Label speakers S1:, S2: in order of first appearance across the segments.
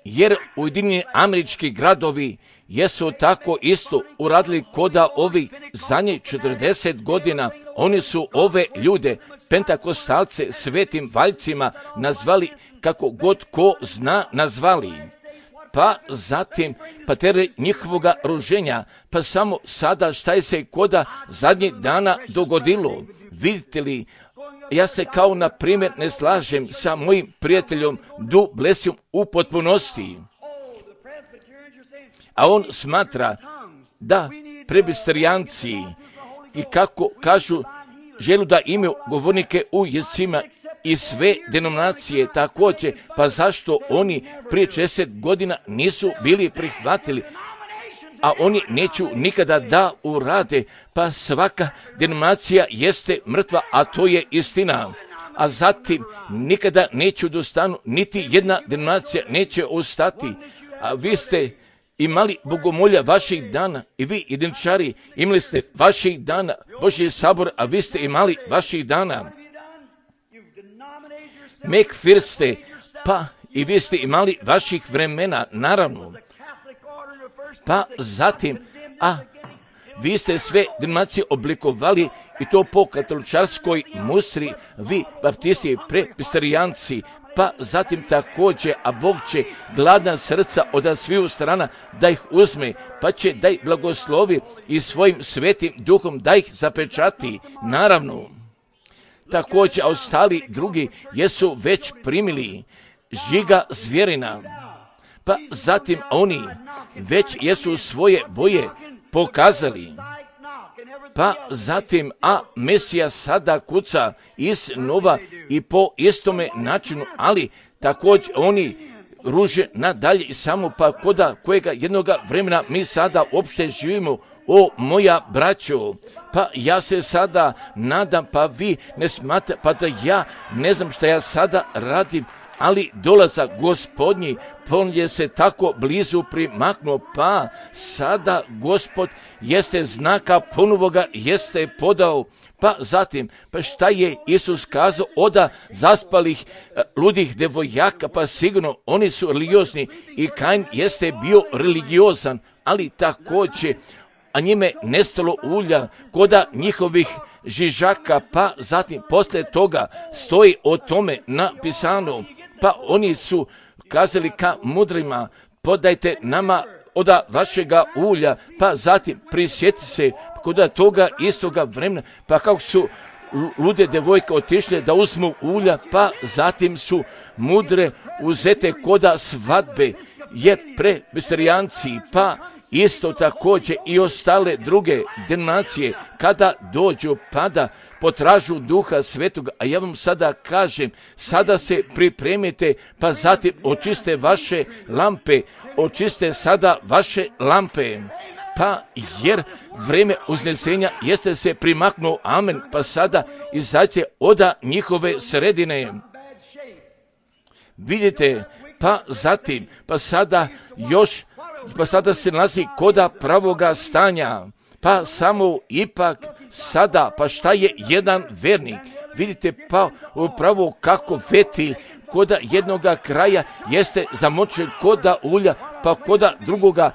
S1: Jer Ujedinjeni Američki gradovi jesu tako isto uradili koda ovih zadnjih 40 godina. Oni su ove ljude, pentakostalce, svetim valjcima nazvali kako god ko zna nazvali. Pa zatim, pa tere njihovoga ruženja, pa samo sada šta je se koda zadnjih dana dogodilo. Vidite li, ja se kao na primjer ne slažem sa mojim prijateljom Du Plessisom u potpunosti. A on smatra da presbiterijanci i kako kažu želu da imaju govornike u jezicima i sve denominacije također, pa zašto oni prije 40 godina nisu bili prihvatili, a oni neću nikada da urade, pa svaka denominacija jeste mrtva, a to je istina. A zatim nikada neću dostanu, niti jedna denominacija neće ostati. A vi ste imali bogomolja vaših dana i vi jediničari imali ste vaših dana, Božji sabor, a vi ste imali vaših dana. McPherson, pa i vi ste imali vaših vremena, naravno. Pa zatim, a vi ste sve denominacije oblikovali i to po katoličarskoj mustri, vi baptisti, presbiterijanci, pa zatim također, a Bog će gladna srca od sviju strana da ih uzme, pa će da ih blagoslovi i svojim svetim duhom da ih zapečati, naravno. Također, a ostali drugi jesu već primili žiga zvjerina, pa zatim oni već jesu svoje boje pokazali, pa zatim, a Mesija sada kuca iznova i po istome načinu, ali također oni ruže nadalje i samo pa koda kojega jednoga vremena mi sada uopšte živimo. O moja braćo, pa ja se sada nadam, pa vi ne smatrate, pa da ja ne znam šta ja sada radim, ali dolazak Gospodnji, on je se tako blizu primaknuo, pa sada Gospod jeste znaka ponovoga, jeste podao, pa zatim, pa šta je Isus kazao oda zaspalih ludih devojaka, pa sigurno oni su religiozni i Kain jeste bio religiozan, ali također, a njime nestalo ulja koda njihovih žižaka, pa zatim posle toga stoji o tome napisano, pa oni su kazali ka mudrima, podajte nama oda vašega ulja, pa zatim prisjeti se koda toga istoga vremena, pa kako su lude devojke otišle da uzmu ulja, pa zatim su mudre uzete koda svadbe, je presbiterijanci, pa isto također i ostale druge denominacije kada dođu pa da potražu Duha Svetoga, a ja vam sada kažem, sada se pripremite, pa zatim očiste vaše lampe, očiste sada vaše lampe, pa jer vreme uznesenja jeste se primaknuo, amen, pa sada izađe oda njihove sredine. Vidite, pa zatim, pa sada još, pa sada se nalazi koda pravoga stanja, pa samo ipak sada, pa šta je jedan vernik? Vidite, pa upravo kako fetilj koda jednoga kraja jeste zamočen koda ulja, pa koda drugoga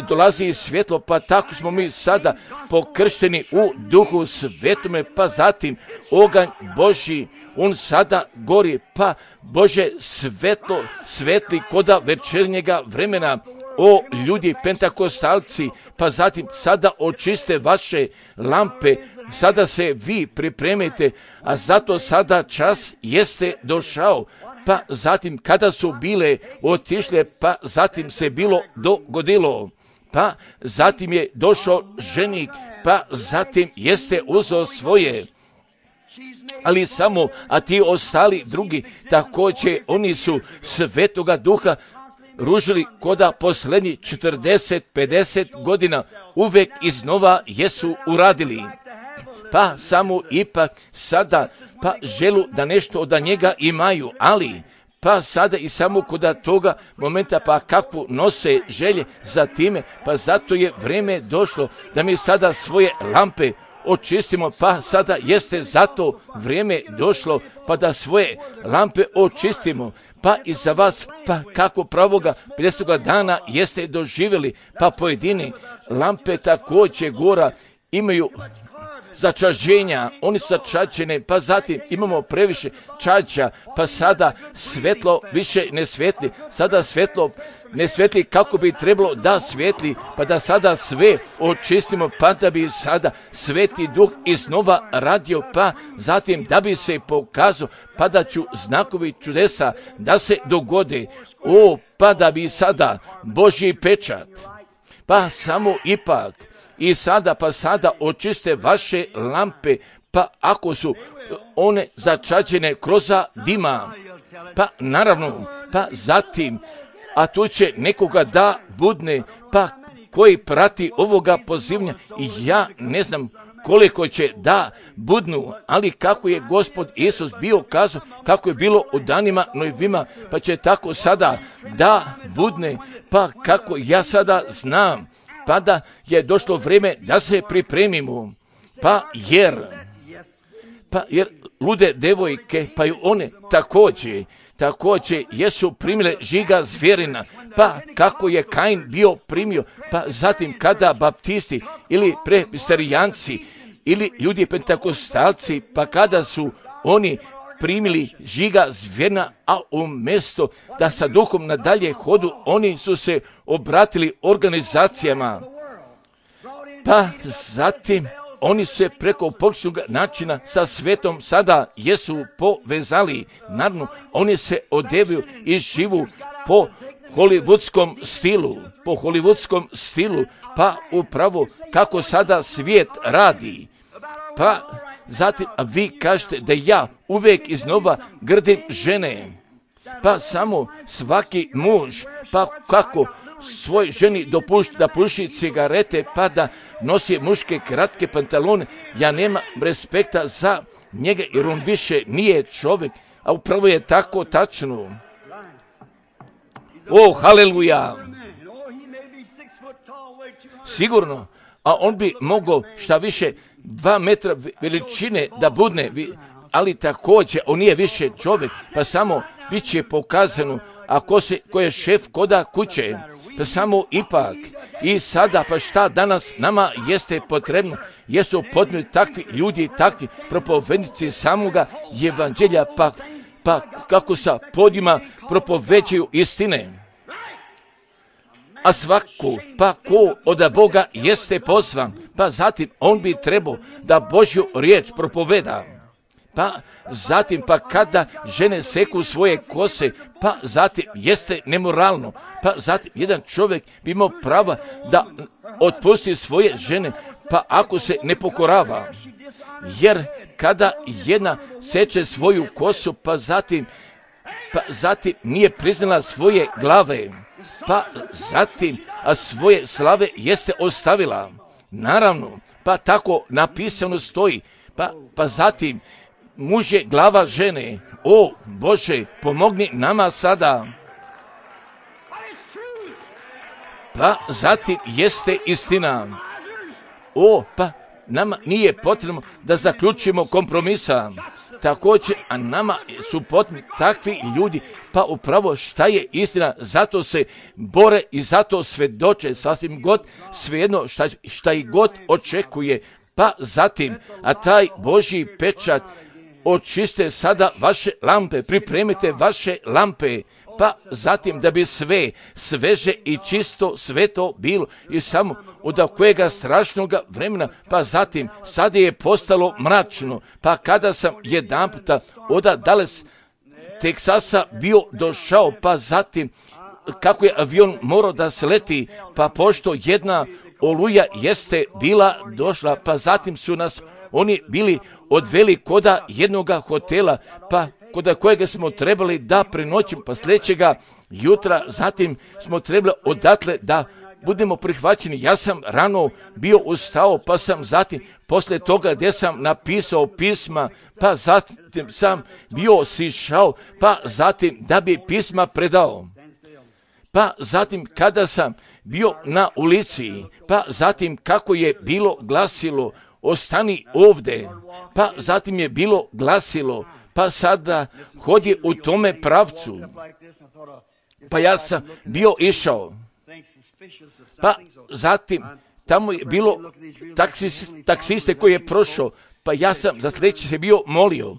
S1: dolazi svjetlo, pa tako smo mi sada pokršteni u Duhu Svetome, pa zatim oganj Božji, on sada gori, pa Bože svetlo svetli koda večernjega vremena. O ljudi pentakostalci, pa zatim sada očiste vaše lampe, sada se vi pripremite, a zato sada čas jeste došao, pa zatim kada su bile otišle, pa zatim se bilo dogodilo, pa zatim je došao ženik, pa zatim jeste uzeo svoje. Ali samo, a ti ostali drugi, također oni su Svetoga Duha ružili koda posljednjih 40-50 godina, uvek iznova jesu uradili. Pa samo ipak sada, pa želu da nešto od njega imaju, ali pa sada i samo koda toga momenta, pa kakvu nose želje za time, pa zato je vreme došlo da mi sada svoje lampe očistimo, pa sada jeste zato vrijeme došlo, pa da svoje lampe očistimo, pa i za vas, pa kako pravoga 50. dana jeste doživjeli, pa pojedini lampe također gora imaju začađenja, oni su začađene, pa zatim imamo previše čađa, pa sada svetlo više ne svetli, sada svetlo ne svetli kako bi trebalo da svetli, pa da sada sve očistimo, pa da bi sada Sveti Duh iznova radio, pa zatim da bi se pokazao, pa da ću znakovi čudesa da se dogode, pa da bi sada Božji pečat, pa samo ipak, i sada pa sada očiste vaše lampe, pa ako su one začađene kroz dima, pa naravno, pa zatim, a tu će nekoga da budne, pa koji prati ovoga pozivanja, i ja ne znam koliko će da budnu, ali kako je Gospod Isus bio kazao, kako je bilo u danima Nojevima, pa će tako sada da budne, pa kako ja sada znam, pa da je došlo vrijeme da se pripremimo, pa jer lude devojke, pa i one također jesu primile žiga zvjerina, pa kako je Kain bio primio, pa zatim kada baptisti ili presbiterijanci ili ljudi pentakostalci, pa kada su oni primili žiga zvjerina, a umjesto da sa duhom nadalje hodu, oni su se obratili organizacijama. Pa zatim oni su se preko pogrešnog načina sa svetom sada jesu povezali. Naravno, oni se odevaju i živu po hollywoodskom stilu, pa upravo kako sada svijet radi. Pa zatim, a vi kažete da ja uvijek iznova grdim žene, pa samo svaki muž, pa kako svoj ženi dopušta da puši cigarete, pa da nosi muške kratke pantalone, ja nemam respekta za njega, jer on više nije čovjek, a upravo je tako tačno. Haleluja! Sigurno, a on bi mogao šta više 2 metra veličine da budne, ali također on nije više čovjek, pa samo bit će pokazano, a ko je šef koda kuće, pa samo ipak. I sada, pa šta danas nama jeste potrebno, jesu potrebni takvi ljudi, takvi propovednici samoga evanđelja, pa kako sa podima propoveđuju istine. A svako, pa ko od Boga jeste pozvan, pa zatim on bi trebao da Božju riječ propoveda. Pa zatim, pa kada žene seku svoje kose, pa zatim jeste nemoralno, pa zatim jedan čovjek bi imao prava da otpusti svoje žene, pa ako se ne pokorava. Jer kada jedna seče svoju kosu, pa zatim nije priznala svoje glave, pa zatim svoje slave jeste ostavila. Naravno, pa tako napisano stoji, pa zatim muž je glava žene. Bože, pomogni nama sada. Pa zatim jeste istina. Pa nama nije potrebno da zaključimo kompromisa. Također, a nama su potrebni takvi ljudi, pa upravo šta je istina, zato se bore i zato svedoče, sasvim god, svejedno šta i god očekuje, pa zatim, a taj Božji pečat, očiste sada vaše lampe, pripremite vaše lampe, pa zatim da bi sve sveže i čisto sveto bilo i samo od kojega strašnog vremena, pa zatim sada je postalo mračno, pa kada sam jedan puta od Dallas Teksasa bio došao, pa zatim kako je avion morao da sleti, pa pošto jedna oluja jeste bila došla, pa zatim su nas oni bili odveli koda jednoga hotela, pa kod kojega smo trebali da prenoćimo, pa sljedećega jutra, zatim smo trebali odatle da budemo prihvaćeni. Ja sam rano bio ustao, pa sam zatim, poslije toga gdje sam napisao pisma, pa zatim sam bio sišao, pa zatim da bi pisma predao. Pa zatim kada sam bio na ulici, pa zatim kako je bilo glasilo, ostani ovdje. Pa zatim je bilo glasilo, pa sada hodi u tome pravcu. Pa ja sam bio išao. Pa zatim tamo je bilo taksiste koji je prošao, pa ja sam za sljedeće se bio molio.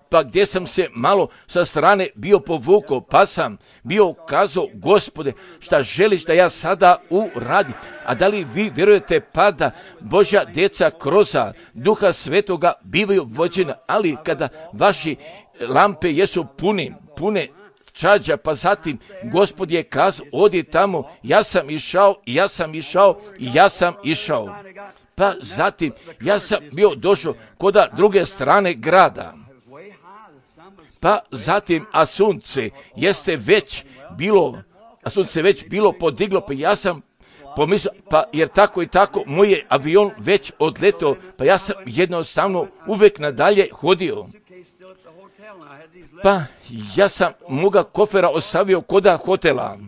S1: Pa gdje sam se malo sa strane bio povukao, pa sam bio kazao, Gospode, šta želiš da ja sada uradim? A da li vi vjerujete pa da Božja djeca kroz Duha Svetoga bivaju vođena, ali kada vaši lampe jesu pune čađa, pa zatim Gospod je kazao, odi tamo, ja sam išao. Pa zatim ja sam bio došao kod druge strane grada. Pa zatim, a sunce već bilo podiglo, pa ja sam pomislio, pa jer tako i tako, moj je avion već odletao, pa ja sam jednostavno uvijek nadalje hodio. Pa ja sam moga kofera ostavio koda hotela.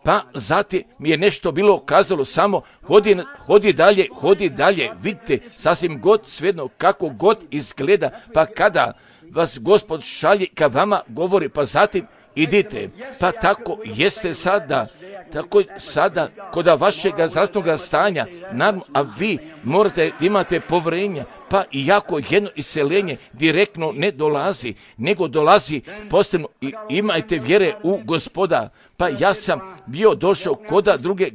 S1: Pa zatim mi je nešto bilo kazalo, samo hodi dalje, vidite, sasvim god svejedno, kako god izgleda, pa kada vas Gospod šalje ka vama govori, pa zatim idite. Pa tako jeste sada kod vašega zdravstvenog stanja, naravno, a vi morate imate povjerenja, pa iako jedno iseljenje direktno ne dolazi, nego dolazi posebno i imajte vjere u Gospoda. Pa ja sam bio došao kod druge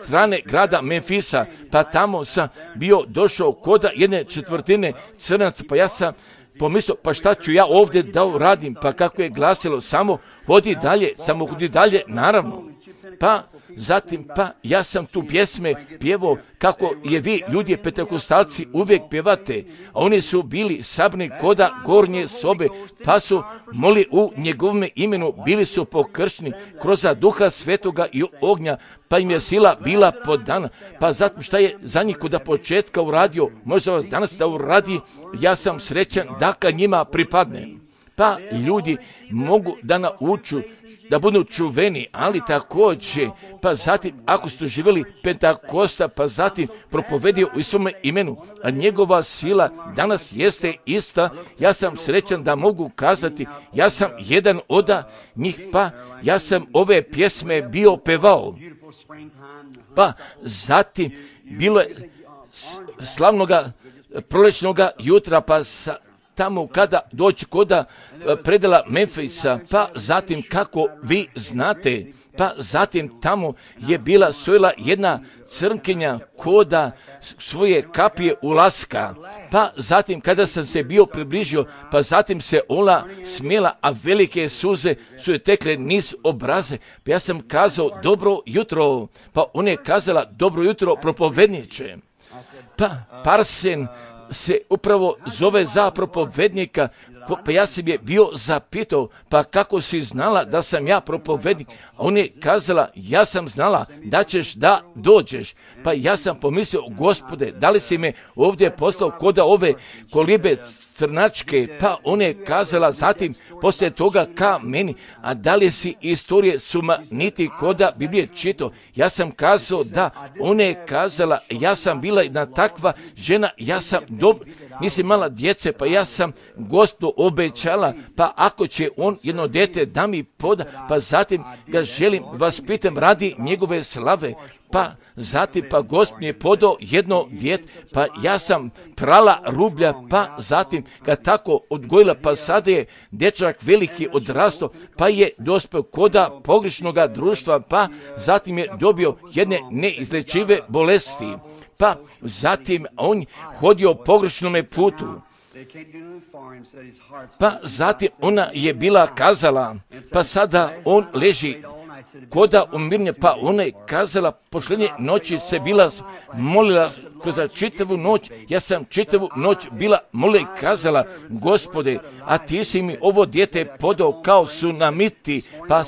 S1: strane grada Memfisa, pa tamo sam bio došao kod jedne četvrtine crnaca, pa ja sam pomislio, pa šta ću ja ovdje da uradim, pa kako je glasilo, samo hodi dalje, naravno. Pa zatim, pa ja sam tu pjesme pjevao kako je vi, ljudi pentekostalci, uvijek pjevate, a oni su bili sabrani koda gornje sobe, pa su moli u njegovome imenu, bili su pokršteni kroz Duha Svetoga i ognja, pa im je sila bila podana. Pa zatim šta je za njih kod početka uradio, možda vas danas da uradi, ja sam srećan da kad njima pripadne. Pa ljudi mogu da nauču da budu čuveni, ali također, pa zatim, ako ste živjeli Pentakosta, pa zatim propovedio u svome imenu, a njegova sila danas jeste ista, ja sam srećan da mogu kazati, ja sam jedan od njih, pa ja sam ove pjesme bio pevao. Pa zatim, bilo je slavnoga proljećnoga jutra, pa tamo kada doći koda predela Memfisa, pa zatim kako vi znate, pa zatim tamo je bila stojila jedna crnkinja koda svoje kapije ulaska, pa zatim kada sam se bio približio, pa zatim se ona smjela, a velike suze su je tekle niz obraze, pa ja sam kazao dobro jutro, pa ona je kazala dobro jutro propovedniče, pa Parsen se upravo zove za propovednika, pa ja sam je bio zapitao, pa kako si znala da sam ja propovednik? A on je kazala, ja sam znala da ćeš da dođeš. Pa ja sam pomislio, Gospode, da li si me ovdje poslao koda ove kolibe crnačke? Pa on je kazala zatim, poslije toga ka meni, a da li si istorije niti koda Biblije čitao? Ja sam kazao da, ona je kazala, ja sam bila jedna takva žena, ja sam nisam imala djece, pa ja sam Gospodu obećala, pa ako će on jedno dete da mi poda, pa zatim ga želim vas pitam radi njegove slave, pa zatim pa Gospod mi je podao jedno dijete, pa ja sam prala rublja, pa zatim ga tako odgojila, pa sada je dječak veliki odrastao, pa je dospio koda pogrešnoga društva, pa zatim je dobio jedne neizlečive bolesti, pa zatim on hodio pogrešnome putu. Pa zatim ona je bila kazala, pa sada on leži koda umirnje, pa ona je kazala, posljednje noći se bila molila kroz čitavu noć, ja sam čitavu noć bila molila i kazala, Gospode, a ti si mi ovo dijete podao kao sunamiti, pa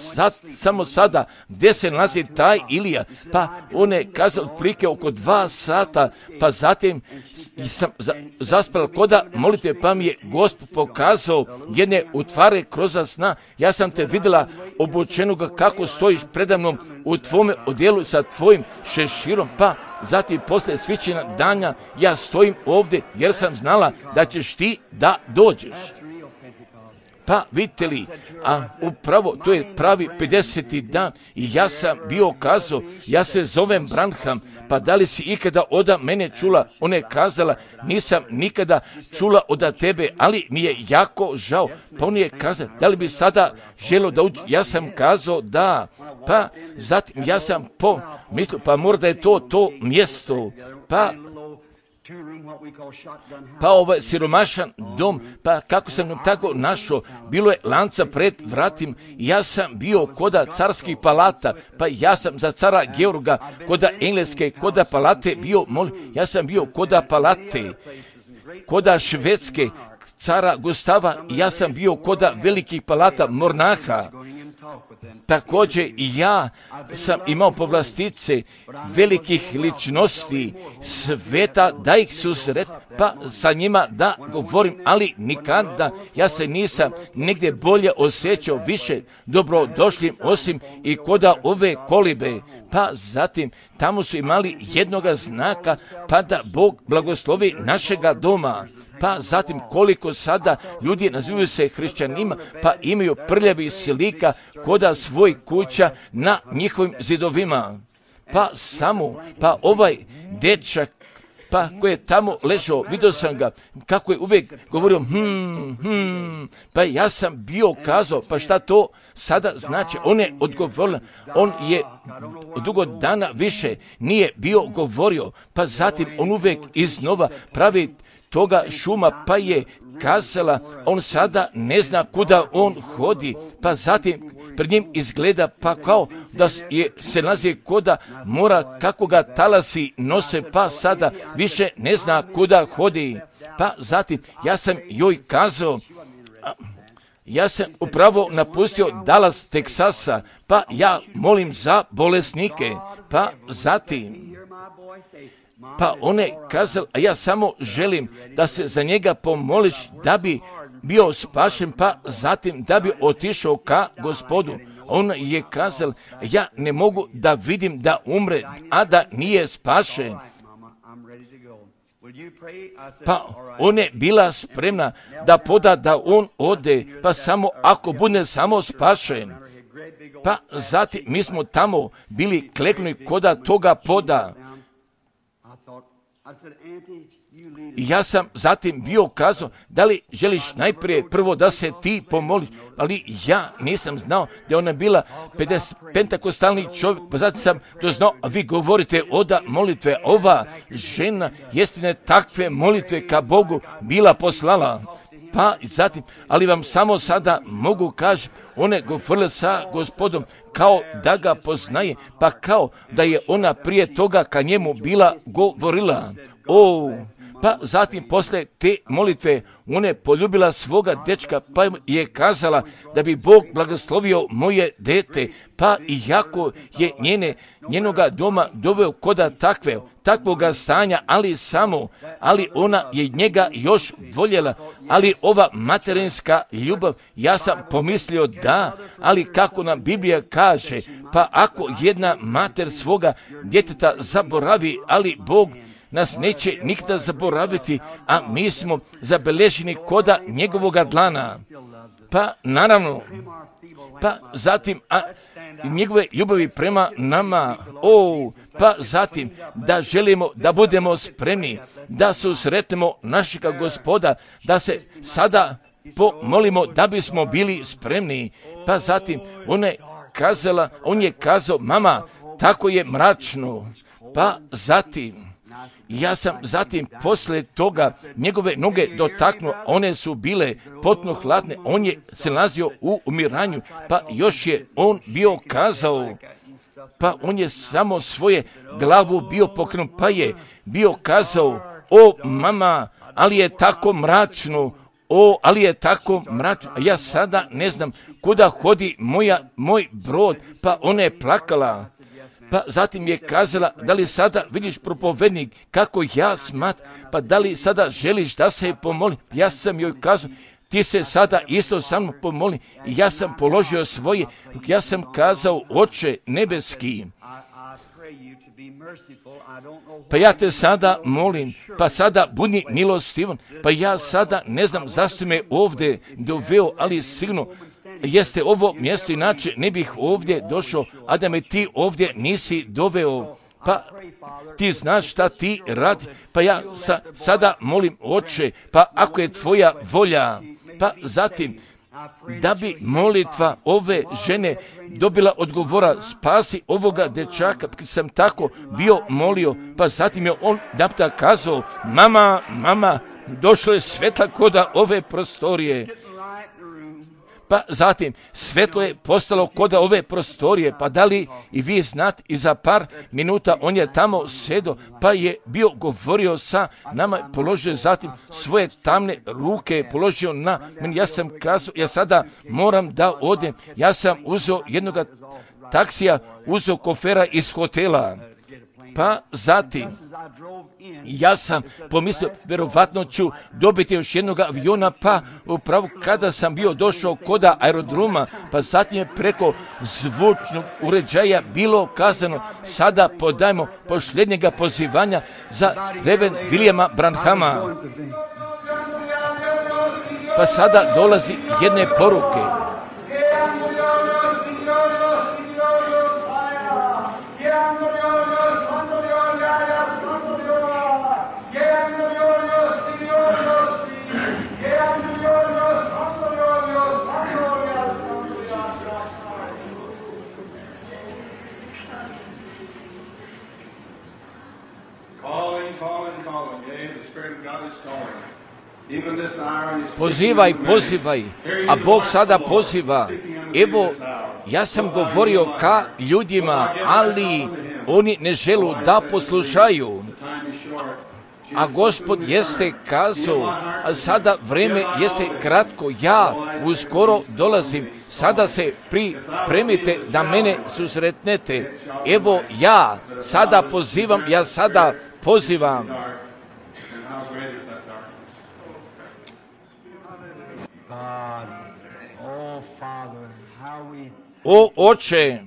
S1: samo sada, gdje se nalazi taj Ilija? Pa ona je kazala otprilike oko 2 sata, pa zatim sam zaspala koda molitva, molitve, pa mi je Gospod pokazao jedne utvare kroz sna. Ja sam te vidjela obučenoga kako stojiš predamnom u tvome odjelu sa tvojim šeširom, pa zatim posle svićena dana ja stojim ovdje jer sam znala da ćeš ti da dođeš. Pa vidite li, a upravo to je pravi 50. dan i ja sam bio kazao, ja se zovem Branham, pa da li si ikada oda mene čula? Ona je kazala, nisam nikada čula oda tebe, ali mi je jako žao. Pa on je kazao, da li bi sada želio da uđe? Ja sam kazao da, pa zatim ja sam mislio, pa možda je to mjesto, pa ovaj siromašan dom, pa kako sam tako našao, bilo je lanca pred vratim, ja sam bio koda carskih palata, pa ja sam za cara Georga, koda engleske, koda palate bio, ja sam bio koda palate, koda švedske, cara Gustava, ja sam bio koda velikih palata Mornaha. Također i ja sam imao povlastice velikih ličnosti sveta da ih susret, pa sa njima da govorim, ali nikada ja se nisam negdje bolje osjećao više dobrodošlim osim i koda ove kolibe. Pa zatim tamo su imali jednoga znaka, pa da Bog blagoslovi našega doma. Pa zatim koliko sada ljudi nazivaju se hrišćanima, pa imaju prljavi slika koda svoj kuća na njihovim zidovima. Pa ovaj dečak, pa koji je tamo ležao, vidio sam ga, kako je uvijek govorio, pa ja sam bio kazao, pa šta to sada znači? On je odgovorio, on je dugo dana više nije bio govorio, pa zatim on uvijek iznova pravi toga šuma, pa je kazala, on sada ne zna kuda on hodi, pa zatim pred njim izgleda pa kao da se nalazi koda mora, kako ga talasi nose, pa sada više ne zna kuda hodi. Pa zatim ja sam joj kazao, ja sam upravo napustio Dallas, Teksasa, pa ja molim za bolesnike, pa zatim pa on je kazao, a ja samo želim da se za njega pomoliš da bi bio spašen, pa zatim da bi otišao ka Gospodu. On je kazao, ja ne mogu da vidim da umre, a da nije spašen. Pa ona je bila spremna da poda da on ode, pa samo ako bude samo spašen. Pa zatim mi smo tamo bili kleknuli koda toga poda. I ja sam zatim bio kazao, da li želiš najprije prvo da se ti pomoliš, ali ja nisam znao da je ona bila pentakostalni čovjek, pa zatim sam to znao, a vi govorite oda molitve, ova žena jeste takve molitve ka Bogu bila poslala. Pa zatim, ali vam samo sada mogu kaži, ona je govorila sa Gospodom kao da ga poznaje, pa kao da je ona prije toga ka njemu bila govorila. Pa zatim posle te molitve ona je poljubila svoga dečka, pa je kazala da bi Bog blagoslovio moje dete, pa i jako je njenoga doma doveo koda takvoga stanja, ali ona je njega još voljela, ali ova materinska ljubav, ja sam pomislio da, ali kako nam Biblija kaže, pa ako jedna mater svoga djeteta zaboravi, ali Bog nas neće nikada zaboraviti, a mi smo zabeleženi koda njegovoga dlana. Pa naravno, pa zatim njegove ljubavi prema nama, pa zatim da želimo da budemo spremni, da susretnemo našega Gospoda, da se sada pomolimo da bismo bili spremni. Pa zatim on je kazao, mama, tako je mračno. Pa zatim ja sam zatim posle toga njegove noge dotaknuo, one su bile potpuno hladne, on je se nalazio u umiranju, pa još je on bio kazao, pa on je samo svoje glavu bio pokrenut, pa je bio kazao, mama, ali je tako mračno, ali je tako mračno, a ja sada ne znam kuda hodi moj brod, pa ona je plakala. Pa zatim je kazala, da li sada vidiš propovednik kako ja smatram, pa da li sada želiš da se pomoli? Ja sam joj kazao, ti se sada isto sa mnom pomoli. I ja sam položio svoje, ja sam kazao, Oče nebeski, pa ja te sada molim, pa sada budi milostivan, pa ja sada ne znam zašto me ovdje doveo, ali sigurno jeste ovo mjesto, inače ne bih ovdje došao, a da me ti ovdje nisi doveo. Pa ti znaš šta ti radi, pa ja sada molim, Oče, pa ako je tvoja volja, pa zatim da bi molitva ove žene dobila odgovora, spasi ovoga dečaka, sam tako bio molio, pa zatim je on napta kazao, mama, došlo je svetla koda ove prostorije. Pa zatim, svetlo je postalo koda ove prostorije, pa da li i vi znate, i za par minuta on je tamo sedo, pa je bio govorio sa nama, položio zatim svoje tamne ruke, položio na meni, ja sam kazao, ja sada moram da odem, ja sam uzeo jednog taksija, uzeo kofera iz hotela, pa zatim, ja sam pomislio, vjerovatno ću dobiti još jednog aviona, pa upravo kada sam bio došao koda aerodroma, pa zatim je preko zvučnog uređaja bilo kazano, sada podajmo posljednjega pozivanja za Reven Williama Branhama. Pa sada dolazi jedne poruke. Pozivaj, a Bog sada poziva. Evo, ja sam govorio ka ljudima, ali oni ne želu da poslušaju. A Gospod jeste kazao, a sada vreme jeste kratko, ja uskoro dolazim, sada se pripremite da mene susretnete. Evo ja sada pozivam. O Oče,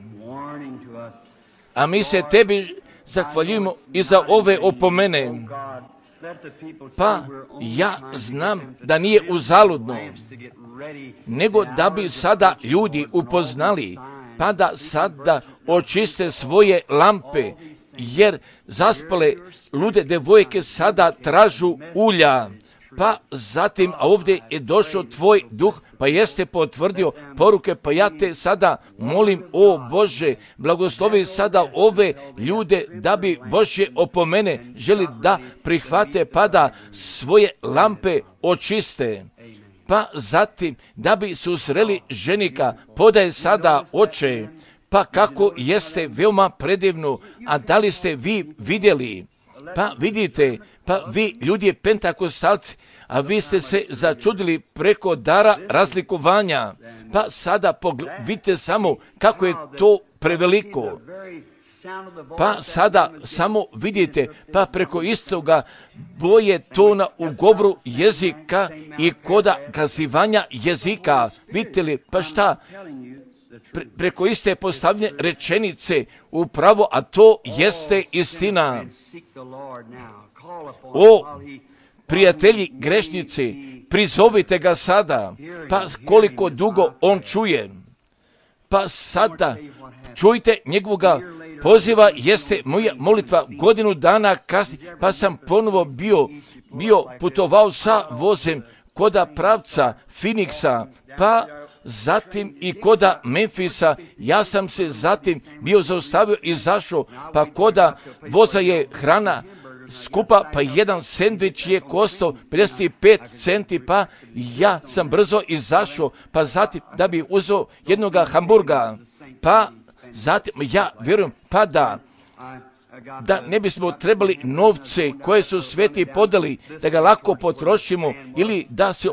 S1: a mi se tebi zahvaljujemo i za ove opomene. Pa ja znam da nije uzaludno, nego da bi sada ljudi upoznali, pa da sada očiste svoje lampe, jer zaspale lude devojke sada tražu ulja. Pa zatim, a ovdje je došao tvoj duh, pa jeste potvrdio poruke, pa ja te sada molim, o Bože, blagoslovi sada ove ljude da bi Božje opomene želi da prihvate, pa da svoje lampe očiste. Pa zatim, da bi susreli ženika, podaj sada, Oče, pa kako jeste veoma predivno, a da li ste vi vidjeli? Pa vidite, pa vi ljudi pentakostalci, a vi ste se začudili preko dara razlikovanja. Pa sada vidite samo kako je to preveliko. Pa sada samo vidite, pa preko istoga boje tona u govoru jezika i koda kazivanja jezika. Vidite li, pa šta? Preko iste postavljene rečenice upravo, a to jeste istina. O prijatelji grešnici, prizovite ga sada, pa koliko dugo on čuje. Pa sada čujte njegovoga poziva, jeste moja molitva godinu dana kasnije, pa sam ponovo bio putovao sa vozem koda pravca Phoenixa, pa zatim i koda Memfisa, ja sam se zatim bio zaustavio i zašao, pa koda voza je hrana skupa, pa jedan sendvič je koštao 55 centi, pa ja sam brzo izašao, pa zatim da bi uzeo jednoga hamburga, pa zatim ja vjerujem, pa da ne bismo trebali novce koje su sveti podali, da ga lako potrošimo ili da se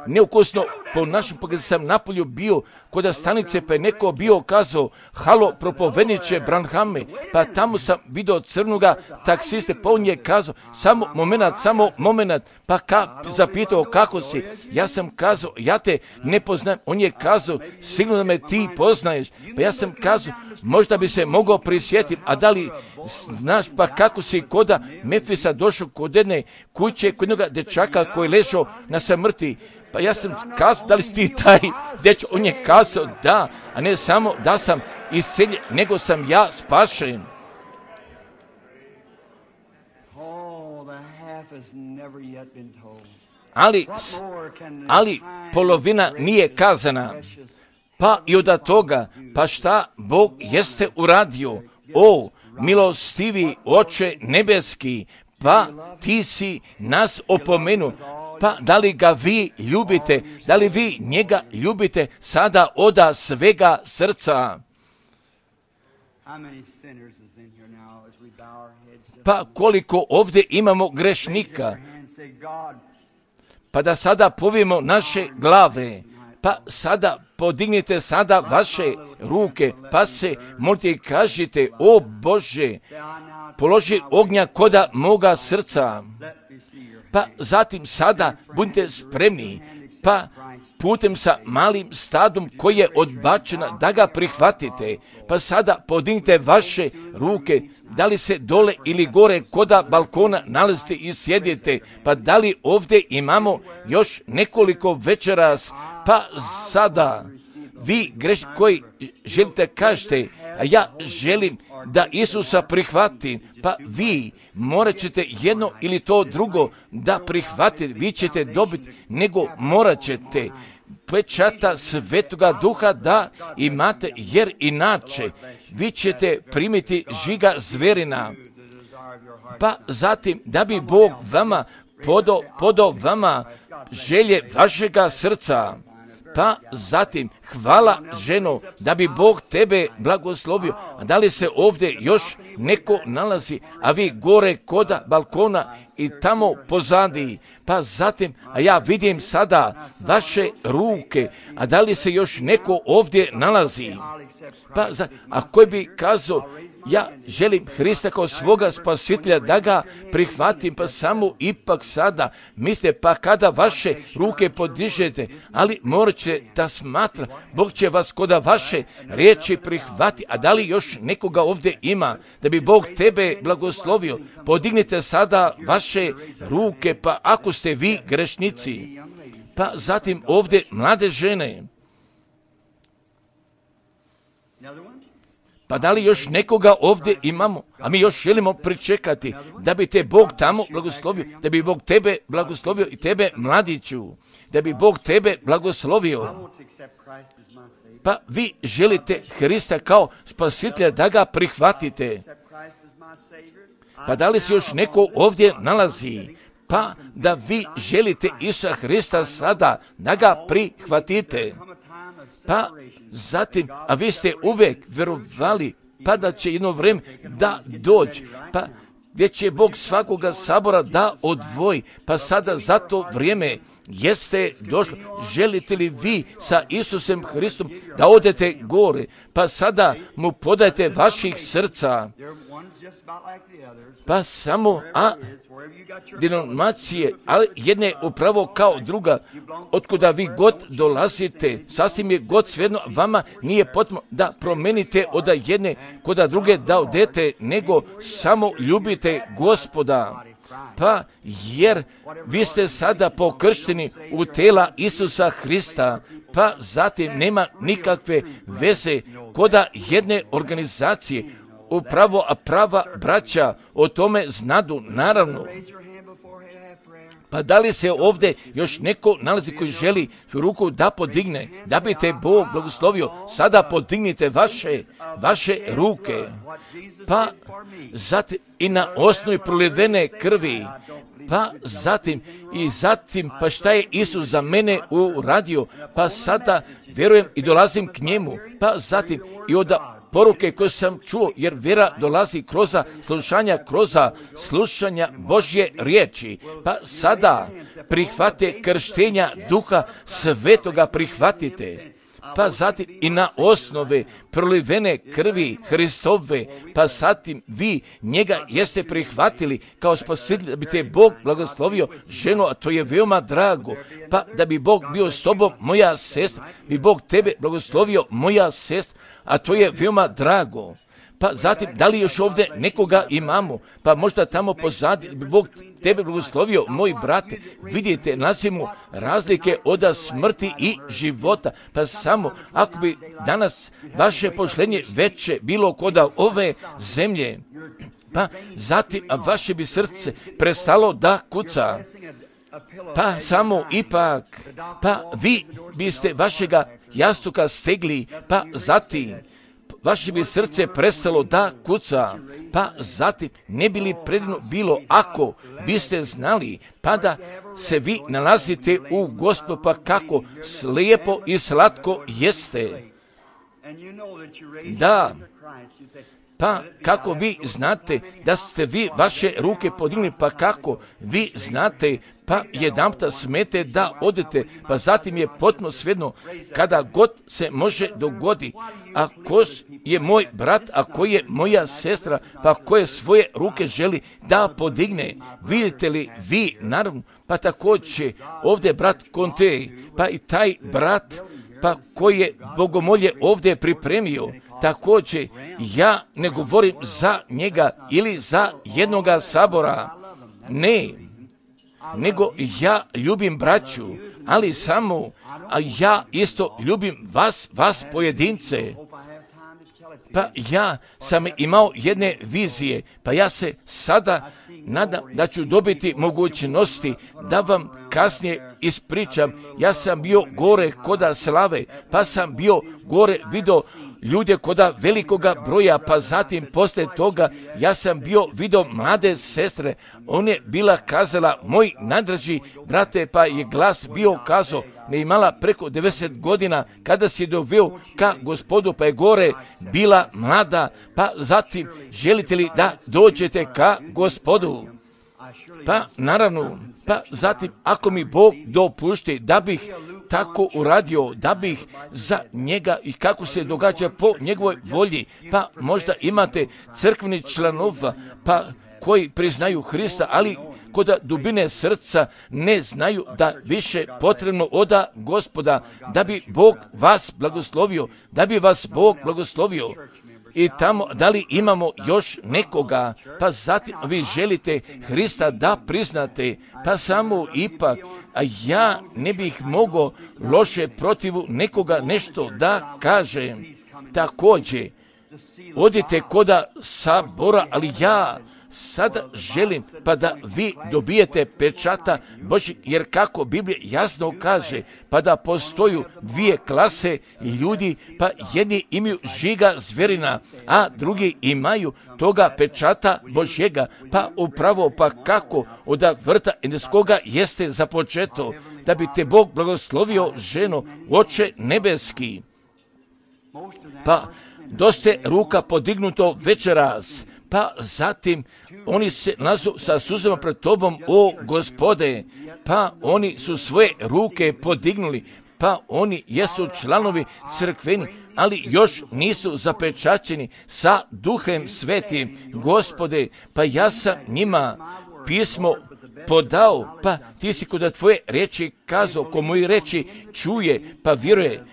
S1: neukusno po našem, kada sam napolju bio kod stanice, pa je neko bio kazao, halo, propovedniče Branhame, pa tamo sam vidio crnoga taksiste, pa on je kazao, samo moment, pa zapitao kako si, ja sam kazao, ja te ne poznajem, on je kazao, sigurno da me ti poznaješ, pa ja sam kazao, možda bi se mogao prisjetiti, a da li znaš pa kako si koda Mefisa došao kod jedne kuće, kod jednoga dečaka koji je ležao na smrti, pa ja sam kazao, da li si ti taj dečko, on je kazao da, a ne samo da sam isceljen, nego sam ja spašen. Ali polovina nije kazana. Pa i od toga, pa šta Bog jeste uradio? O, milostivi Oče nebeski, pa ti si nas opomenuo. Pa da li ga vi ljubite? Da li vi njega ljubite sada oda svega srca? Pa koliko ovdje imamo grešnika? Pa da sada povijemo naše glave. Pa sada podignite sada vaše ruke, pa se molite i kažite, o Bože, položi ognja koda moga srca. Pa zatim sada budite spremni, pa putem sa malim stadom koji je odbačena da ga prihvatite. Pa sada podignite vaše ruke, da li se dole ili gore koda balkona nalazite i sjedite, pa da li ovdje imamo još nekoliko večeras, pa sada vi grešni koji želite kažete, a ja želim da Isusa prihvatim, pa vi morat ćete jedno ili to drugo da prihvatite, vi ćete dobiti, nego morat ćete pečata Svetoga Duha da imate, jer inače vi ćete primiti žiga zverina. Pa zatim da bi Bog vama podao vama želje vašega srca. Pa zatim, hvala ženo, da bi Bog tebe blagoslovio. A da li se ovdje još neko nalazi, a vi gore koda balkona i tamo pozadi. Pa zatim, a ja vidim sada vaše ruke, a da li se još neko ovdje nalazi? Pa a koji bi kazao, ja želim Hrista kao svoga spasitelja da ga prihvatim, pa samo ipak sada mislite, pa kada vaše ruke podižete, ali morat će da smatra, Bog će vas koda vaše riječi prihvati, a da li još nekoga ovdje ima, da bi Bog tebe blagoslovio, podignite sada vaše ruke, pa ako ste vi grešnici, pa zatim ovdje mlade žene, pa da li još nekoga ovdje imamo, a mi još želimo pričekati da bi te Bog tamo blagoslovio, da bi Bog tebe blagoslovio i tebe mladiću, da bi Bog tebe blagoslovio. Pa vi želite Hrista kao spasitelja da ga prihvatite. Pa da li se još neko ovdje nalazi? Pa da vi želite Isusa Hrista sada da ga prihvatite. Pa zatim, a vi ste uvijek vjerovali, pa da će jedno vrijeme da dođe, pa gdje će Bog svakoga sabora da odvoji, pa sada za to vrijeme jeste došlo. Želite li vi sa Isusom Hristom da odete gore, pa sada mu podajte vaših srca, pa samo, denominacije, ali jedne upravo kao druga, otkuda vi god dolazite, sasvim je god svejedno, vama nije potrebno da promenite od jedne kod druge da odete, nego samo ljubite Gospoda. Pa jer vi ste sada pokršteni u tela Isusa Hrista, pa zatim nema nikakve veze koda jedne organizacije, upravo a prava braća o tome znadu, naravno. Pa da li se ovdje još neko nalazi koji želi ruku da podigne, da bi te Bog blagoslovio, sada podignite vaše ruke. Pa zatim i na osnovi prolivene krvi, pa zatim pa šta je Isus za mene uradio, pa sada vjerujem i dolazim k njemu, pa zatim i od poruke koje sam čuo, jer vjera dolazi kroz slušanja Božje riječi. Pa sada prihvate krštenja Duha Svetoga, prihvatite. Pa zatim i na osnove prolivene krvi Hristove, pa zatim vi njega jeste prihvatili kao spasitelj, da bi te Bog blagoslovio ženu, a to je veoma drago. Pa da bi Bog bio s tobom, moja sestra, bi Bog tebe blagoslovio, moja sestra, a to je veoma drago. Pa zatim, da li još ovdje nekoga imamo, pa možda tamo pozadi, bi Bog tebe blagoslovio, moj brate. Vidite, nasimo razlike od smrti i života. Pa samo, ako bi danas vaše pošlenje veće bilo kod ove zemlje, pa zatim vaše bi srce prestalo da kuca. Pa samo ipak, pa vi biste vašega jastuka stegli, pa zatim vaše bi srce prestalo da kuca, pa zatim ne bi li predivno bilo ako biste znali, pa da se vi nalazite u Gospodu, pa kako slijepo i slatko jeste. Da, pa kako vi znate da ste vi vaše ruke podigli, pa kako vi znate, pa jedanputa smete da odete, pa zatim je potpuno svejedno kada god se može dogodi, a ko je moj brat, a ko je moja sestra, pa koje svoje ruke želi da podigne. Vidite li vi, naravno, pa također ovdje brat Conte, pa i taj brat, pa koji je bogomolje ovdje pripremio, također ja ne govorim za njega ili za jednoga sabora, ne, nego ja ljubim braću, ali samo, a ja isto ljubim vas pojedince. Pa ja sam imao jedne vizije, pa ja se sada nadam da ću dobiti mogućnosti da vam kasnije ispričam. Ja sam bio gore koda slave, pa sam bio gore vidio ljude koda velikoga broja, pa zatim poslije toga ja sam vidio mlade sestre. On je bila kazala, moj najdraži brate, pa je glas bio kazao, ne imala preko 90 godina kada si doveo ka Gospodu, pa je gore bila mlada, pa zatim želite li da dođete ka Gospodu? Pa naravno, pa zatim ako mi Bog dopušti da bih tako uradio, da bih za njega i kako se događa po njegovoj volji, pa možda imate crkveni članova, pa koji priznaju Hrista, ali kod dubine srca ne znaju da više potrebno od Gospoda, da bi Bog vas blagoslovio, da bi vas Bog blagoslovio. I tamo, da li imamo još nekoga, pa zatim vi želite Hrista da priznate, pa samo ipak, a ja ne bih mogao loše protivu nekoga nešto da kažem. Također, odite koda sabora, ali ja sada želim pa da vi dobijete pečata Božjeg, jer kako Biblija jasno kaže, pa da postoju dvije klase ljudi, pa jedni imaju žiga zverina, a drugi imaju toga pečata Božjega, pa upravo pa kako od vrta Edenskoga jeste započeto, da bi te Bog blagoslovio ženo, Oče nebeski. Pa dosta ruka podignuto večeras, pa zatim oni se nazu sa suzama pred tobom, o Gospode, pa oni su svoje ruke podignuli, pa oni jesu članovi crkveni, ali još nisu zapečaćeni sa Duhem Svetim. Gospode, pa ja sam njima pismo podao, pa ti si kod tvoje riječi kazao, ko moji riječi čuje, pa vjeruje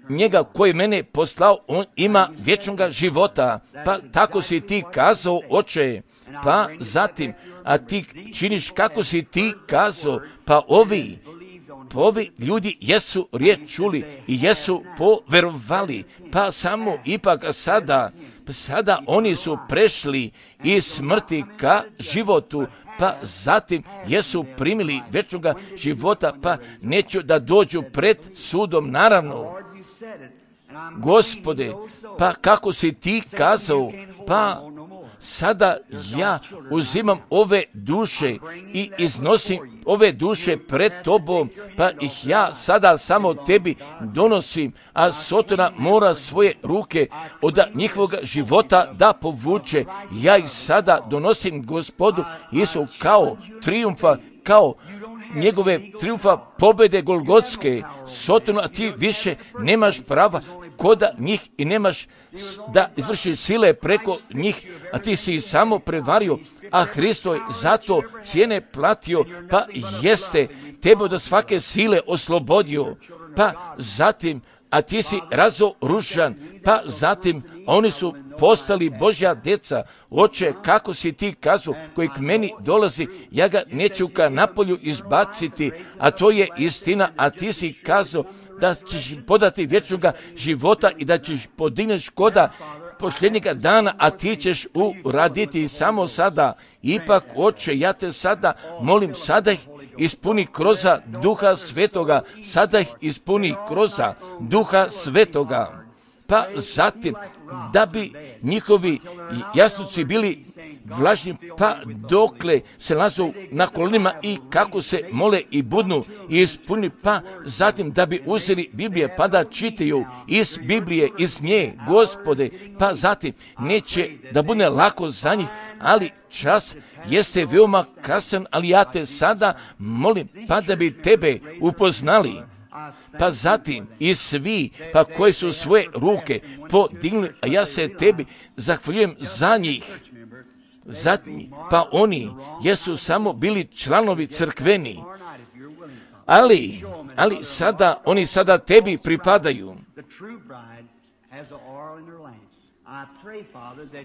S1: njega koji mene poslao, on ima vječnoga života. Pa tako si ti kazao, Oče. Pa zatim, a ti činiš kako si ti kazao, pa ovi ljudi jesu riječ čuli i jesu poverovali, pa samo ipak sada oni su prešli iz smrti ka životu, pa zatim jesu primili vječnoga života, pa neću da dođu pred sudom, naravno. Gospode, pa kako si ti kazao, pa sada ja uzimam ove duše i iznosim ove duše pred tobom, pa ih ja sada samo tebi donosim, a Sotona mora svoje ruke od njihovog života da povuče. Ja ih sada donosim Gospodu Isu kao trijumfa, kao njegove trijumfa pobjede Golgotske. Sotonu, a ti više nemaš prava kod njih i nemaš da izvršiš sile preko njih, a ti si samo prevario, a Hristo je zato cijene platio, pa jeste tebe od svake sile oslobodio, pa zatim, a ti si razoružan, pa zatim oni su postali Božja djeca. Oče, kako si ti kazao, koji k meni dolazi, ja ga neću ka napolju izbaciti, a to je istina, a ti si kazao da ćeš im podati vječnoga života i da ćeš podigneš koda posljednjega dana, a ti ćeš uraditi samo sada. Ipak, Oče, ja te sada molim, sada ih ispuni kroza Duha Svetoga, sada ih ispuni kroza Duha Svetoga. Pa zatim, da bi njihovi jasluci bili vlažni, pa dokle se lazu na kolenima i kako se mole i budnu i ispuni, pa zatim da bi uzeli Biblije pa da čitaju iz Biblije, iz nje, Gospode, pa zatim neće da bude lako za njih, ali čas jeste veoma kasan, ali ja te sada molim pa da bi tebe upoznali. Pa zatim i svi, pa koji su svoje ruke podignuli, a ja se tebi zahvaljujem za njih. Zatim, pa oni jesu samo bili članovi crkveni, ali oni sada tebi pripadaju.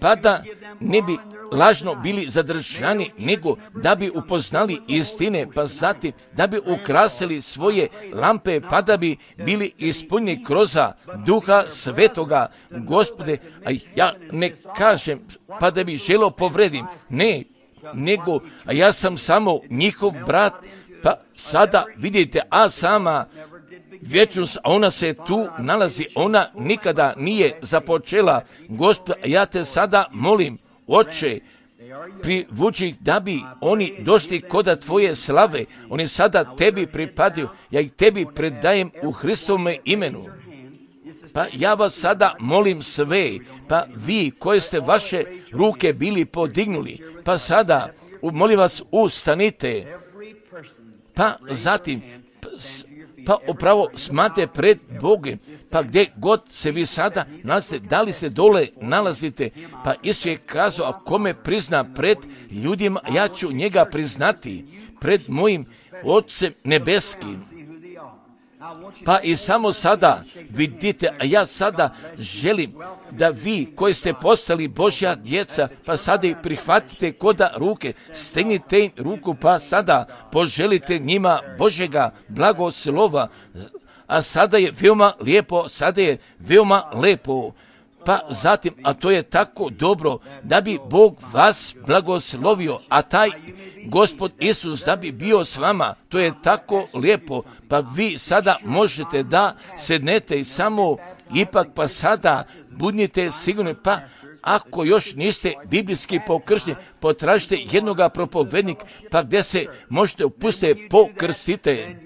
S1: Pa da ne bi lažno bili zadržani, nego da bi upoznali istine, pa zatim da bi ukrasili svoje lampe, pa da bi bili ispunjeni kroz Duha Svetoga. Gospode, a ja ne kažem pa da bi želio povredim, ne, nego a ja sam samo njihov brat, pa sada vidite, a sama vječnost, a ona se tu nalazi, ona nikada nije započela. Gospod, ja te sada molim, Oče, privuči ih da bi oni došli koda tvoje slave. Oni sada tebi pripadaju, ja ih tebi predajem u Hristovome imenu. Pa ja vas sada molim sve, pa vi koji ste vaše ruke bili podignuli, pa sada molim vas ustanite, pa zatim pa upravo smate pred Bogom, pa gdje god se vi sada nalazite, da li se dole nalazite, pa Isus je kazao, a kome prizna pred ljudima, ja ću njega priznati pred mojim Otcem nebeskim. Pa i samo sada vidite, a ja sada želim da vi koji ste postali Božja djeca, pa sada ih prihvatite koda ruke, stegnite im ruku, pa sada poželite njima Božjega blagoslova. A sada je veoma lijepo, pa zatim, a to je tako dobro, da bi Bog vas blagoslovio, a taj Gospod Isus da bi bio s vama, to je tako lijepo, pa vi sada možete da sednete i samo ipak pa sada budnite sigurni, pa ako još niste biblijski pokršteni, potražite jednoga propovednika, pa gdje se možete upustiti, pokrstite.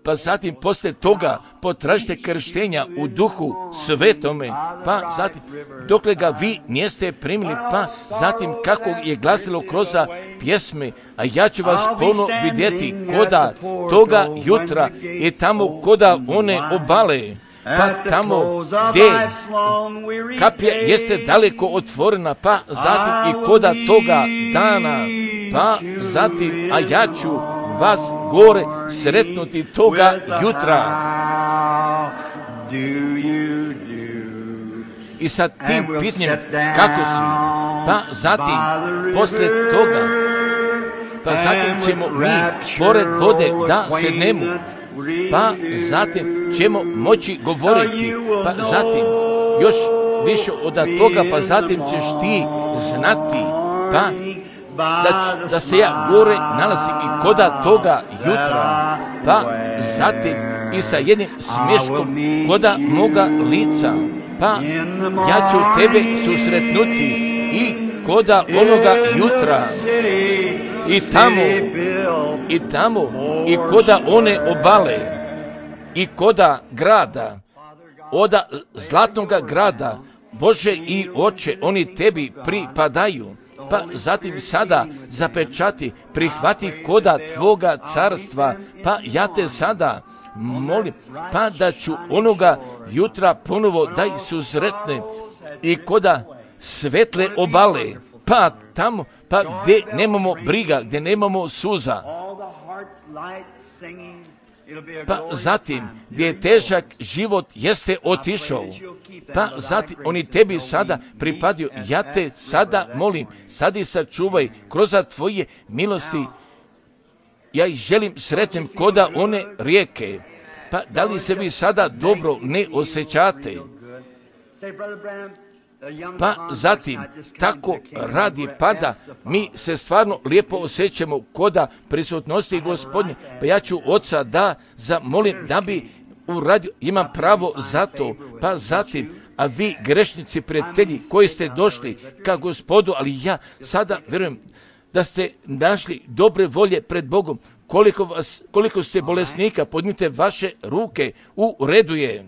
S1: Pa zatim poslije toga potražite krštenja u Duhu Svetome, pa zatim dokle ga vi niste primili, pa zatim kako je glasilo kroz pjesme, a ja ću vas ponovno vidjeti koda toga jutra i tamo koda one obale, pa tamo gdje kapija jeste daleko otvorena, pa zatim i koda toga dana, pa zatim, a ja ću vas gore sretnuti toga jutra. I sa tim pitanjem kako si, pa zatim poslije toga, pa zatim ćemo mi pored vode da sednemo, pa zatim ćemo moći govoriti, pa zatim još više od toga, pa zatim ćeš ti znati, pa da se ja gore nalazim i koda toga jutra, pa zatim i sa jednim smješkom koda moga lica, pa ja ću tebe susretnuti i koda onoga jutra i tamo i koda one obale i koda grada, oda zlatnoga grada, Bože i Oče, oni tebi pripadaju. Pa zatim sada zapečati, prihvati koda tvoga carstva, pa ja te sada molim, pa da ću onoga jutra ponovo da ih susretnem i koda svetle obale, pa tamo, pa gdje nemamo briga, gdje nemamo suza, pa zatim gdje je težak život jeste otišao, pa zatim oni tebi sada pripadaju. Ja te sada molim, sad ih sačuvaj kroz tvoje milosti. Ja ih želim sretnem koda one rijeke. Pa da li se vi sada dobro ne osjećate? Pa zatim tako radi pada, mi se stvarno lijepo osjećamo koda prisutnosti Gospodnje. Pa ja ću Oca da zamolim da bi uradio, imam pravo za to. Pa zatim, a vi grešnici, prijatelji koji ste došli ka Gospodu, ali ja sada vjerujem da ste našli dobre volje pred Bogom. Koliko ste bolesnika, podnite vaše ruke, u redu je.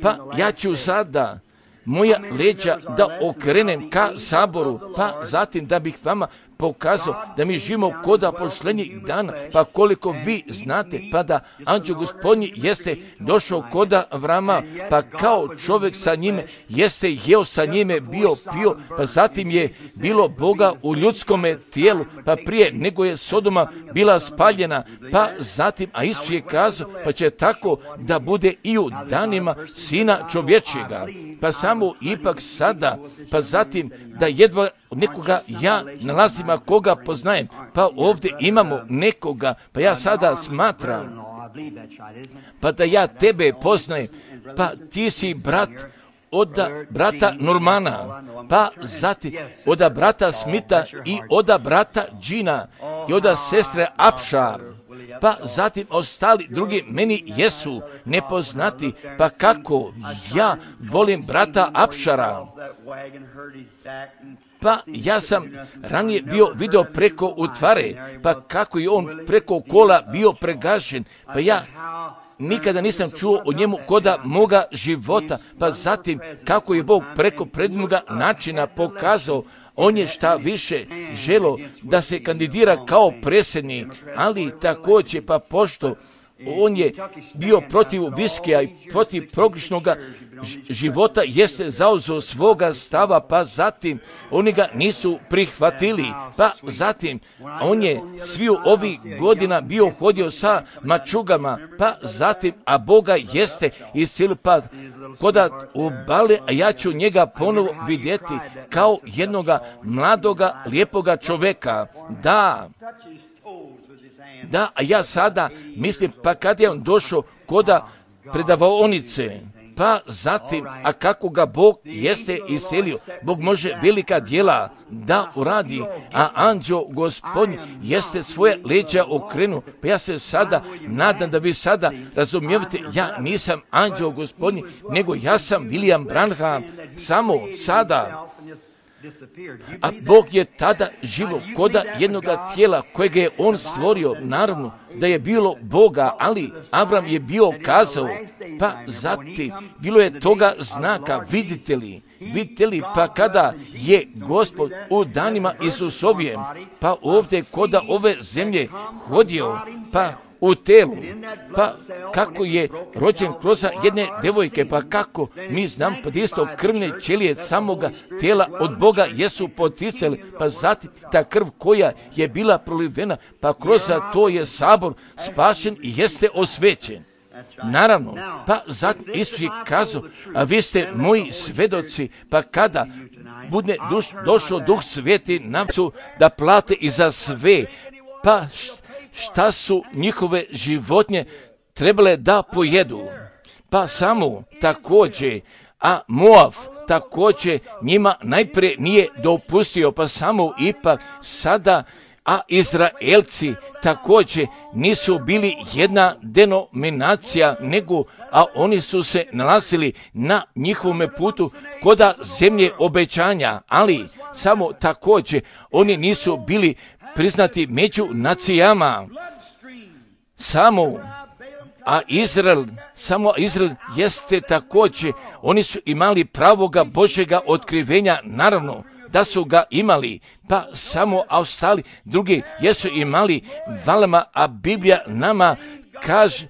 S1: Pa ja ću sada moja leđa da okrenem ka saboru, pa zatim da bih vama pokazao da mi živimo koda posljednjih dana, pa koliko vi znate, pa da anđeo Gospodnji jeste došao koda Avrama, pa kao čovjek sa njime jeste jeo sa njime, bio pio, pa zatim je bilo Boga u ljudskome tijelu, pa prije nego je Sodoma bila spaljena, pa zatim, a Isus je kazao, pa će tako da bude i u danima Sina čovječjega, pa samo ipak sada, pa zatim da jedva nekoga ja nalazim, a koga poznajem, pa ovdje imamo nekoga, pa ja sada smatram, pa da ja tebe poznajem, pa ti si brat od brata Normana, pa zatim od brata Smita i od brata Džina i od sestre Apšar, pa zatim ostali drugi meni jesu nepoznati, pa kako ja volim brata Apšara. Pa ja sam ranije bio video preko utvare, pa kako je on preko kola bio pregažen, pa ja nikada nisam čuo o njemu koda moga života, pa zatim kako je Bog preko predivnoga načina pokazao, on je šta više želo da se kandidira kao predsjednik, ali također pa pošto on je bio protiv viskija i protiv progrišnog života, jeste zauzeo svoga stava, pa zatim oni ga nisu prihvatili, pa zatim on je sviju ovih godina bio hodio sa mačugama, pa zatim, a Boga jeste iscijelio, pa koda obale, a ja ću njega ponovo vidjeti kao jednoga mladoga, lijepoga čoveka. Da, a ja sada mislim, pa kad je on došao koda predavaonice, pa zatim, a kako ga Bog jeste iscelio, Bog može velika djela da uradi, a anđeo Gospodnji jeste svoje leđa okrenu, pa ja se sada nadam da vi sada razumijevate, ja nisam anđeo Gospodnji, nego ja sam William Branham, samo sada. A Bog je tada živo koda jednoga tijela kojega je on stvorio, naravno da je bilo Boga, ali Avram je bio kazao, pa zatim bilo je toga znaka, vidite li, pa kada je Gospod u danima Isusovijem, pa ovdje koda ove zemlje hodio, pa u telu, pa kako je rođen kroz jedne devojke, pa kako mi znam, pa isto krvne ćelije samoga tijela od Boga jesu poticali, pa zatim ta krv koja je bila prolivena, pa kroz to je sabor spašen i jeste osvećen. Naravno, pa zatim Isus je kazao, a vi ste moji svedoci, pa kada bude došao Duh Sveti nam su da plate i za sve, pa šta su njihove životinje trebale da pojedu, pa samo također, a Moab također njima najprije nije dopustio, pa samo ipak sada a Izraelci također nisu bili jedna denominacija, a oni su se nalazili na njihovome putu koda zemlje obećanja, ali samo također oni nisu bili priznati među nacijama. Samo Izrael jeste također, oni su imali pravoga Božjega otkrivenja, naravno da su ga imali, pa samo ostali drugi jesu imali Valama, a Biblija nama kaže,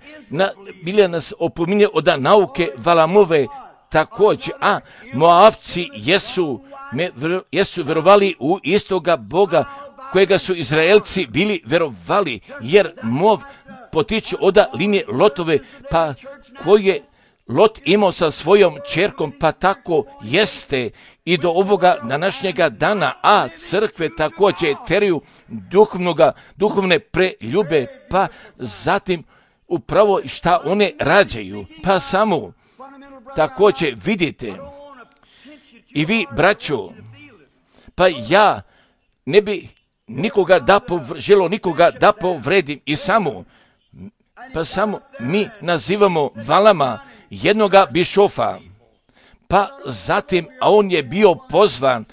S1: Biblija nas opominje od nauke Valamove također, a Moavci jesu verovali u istoga Boga kojega su Izraelci bili verovali, jer Moav potiče od linije Lotove, pa koji je Lot imao sa svojom čerkom, pa tako jeste i do ovoga današnjega dana, a crkve također teraju duhovne preljube, pa zatim upravo šta one rađaju, pa samo također vidite i vi, braćo, pa ja ne bi želo nikoga da povredim i samo mi nazivamo Valama jednoga bišofa, pa zatim, a on je bio pozvan,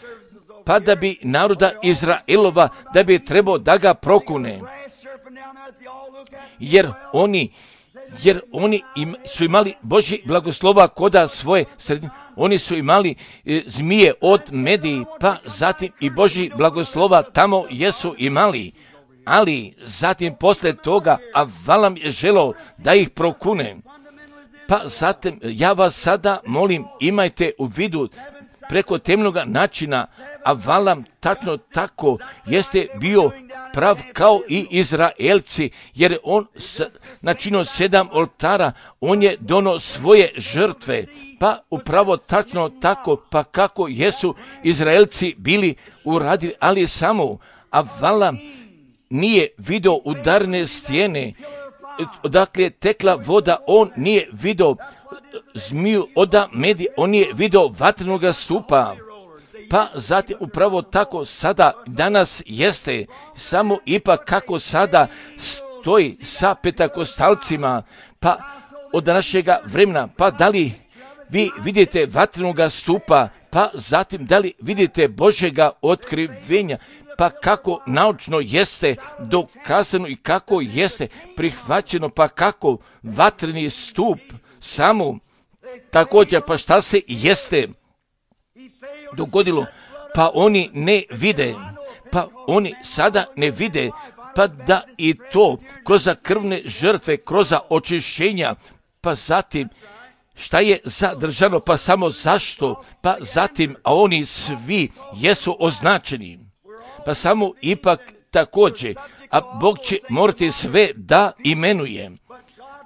S1: pa da bi naroda Izraelova, da bi trebao da ga prokune, jer oni su imali Božji blagoslova koda svoje sredine, oni su imali zmije od Mediji, pa zatim i Božji blagoslova tamo jesu imali, ali zatim posle toga, a Valam je želao da ih prokune, pa zatim ja vas sada molim, imajte u vidu preko temnoga načina, a Valam tačno tako jeste bio prav kao i Izraelci, jer on načinio 7 oltara, on je donio svoje žrtve, pa upravo tačno tako, pa kako jesu Izraelci bili uradili, ali samo, a Valam nije vidio udarne stijene, odakle je tekla voda, on nije vidio zmiju od Medije, on nije vidio vatrenoga stupa. Pa zatim upravo tako sada danas jeste, samo ipak kako sada stoji sa petakostalcima, pa od današnjega vremena, pa da li vi vidite vatrenoga stupa, pa zatim da li vidite Božjega otkrivenja, pa kako naučno jeste dokazano i kako jeste prihvaćeno, pa kako vatreni stup samo također, pa šta se jeste dogodilo, pa oni ne vide, pa oni sada ne vide, pa da i to kroz krvne žrtve, kroz očišćenja, pa zatim šta je zadržano, pa samo zašto, pa zatim, a oni svi jesu označeni, pa samo ipak također, a Bog će morati sve da imenuje,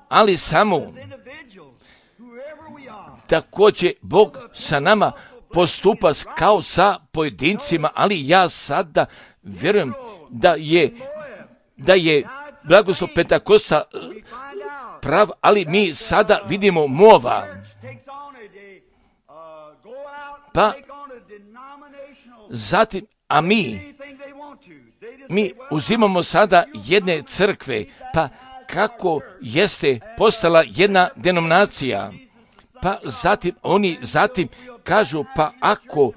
S1: ali samo također Bog sa nama postupa kao sa pojedincima, ali ja sada vjerujem da je blagoslov Pentakosta prav, ali mi sada vidimo Moava. Pa zatim, a mi uzimamo sada jedne crkve, pa kako jeste postala jedna denominacija, pa zatim oni kažu, pa ako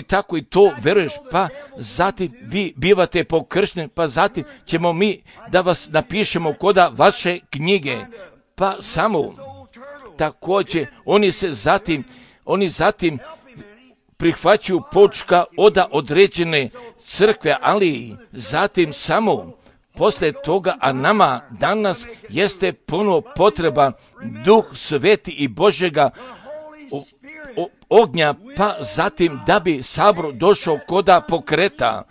S1: tako i to veruješ, pa zatim vi bivate pokršteni, pa zatim ćemo mi da vas napišemo koda vaše knjige, pa samo također oni zatim prihvaćaju počka od određene crkve, ali zatim samo posle toga, a nama danas jeste puno potreba Duh Sveti i Božjega ognja, pa zatim da bi sabor došao koda pokreta,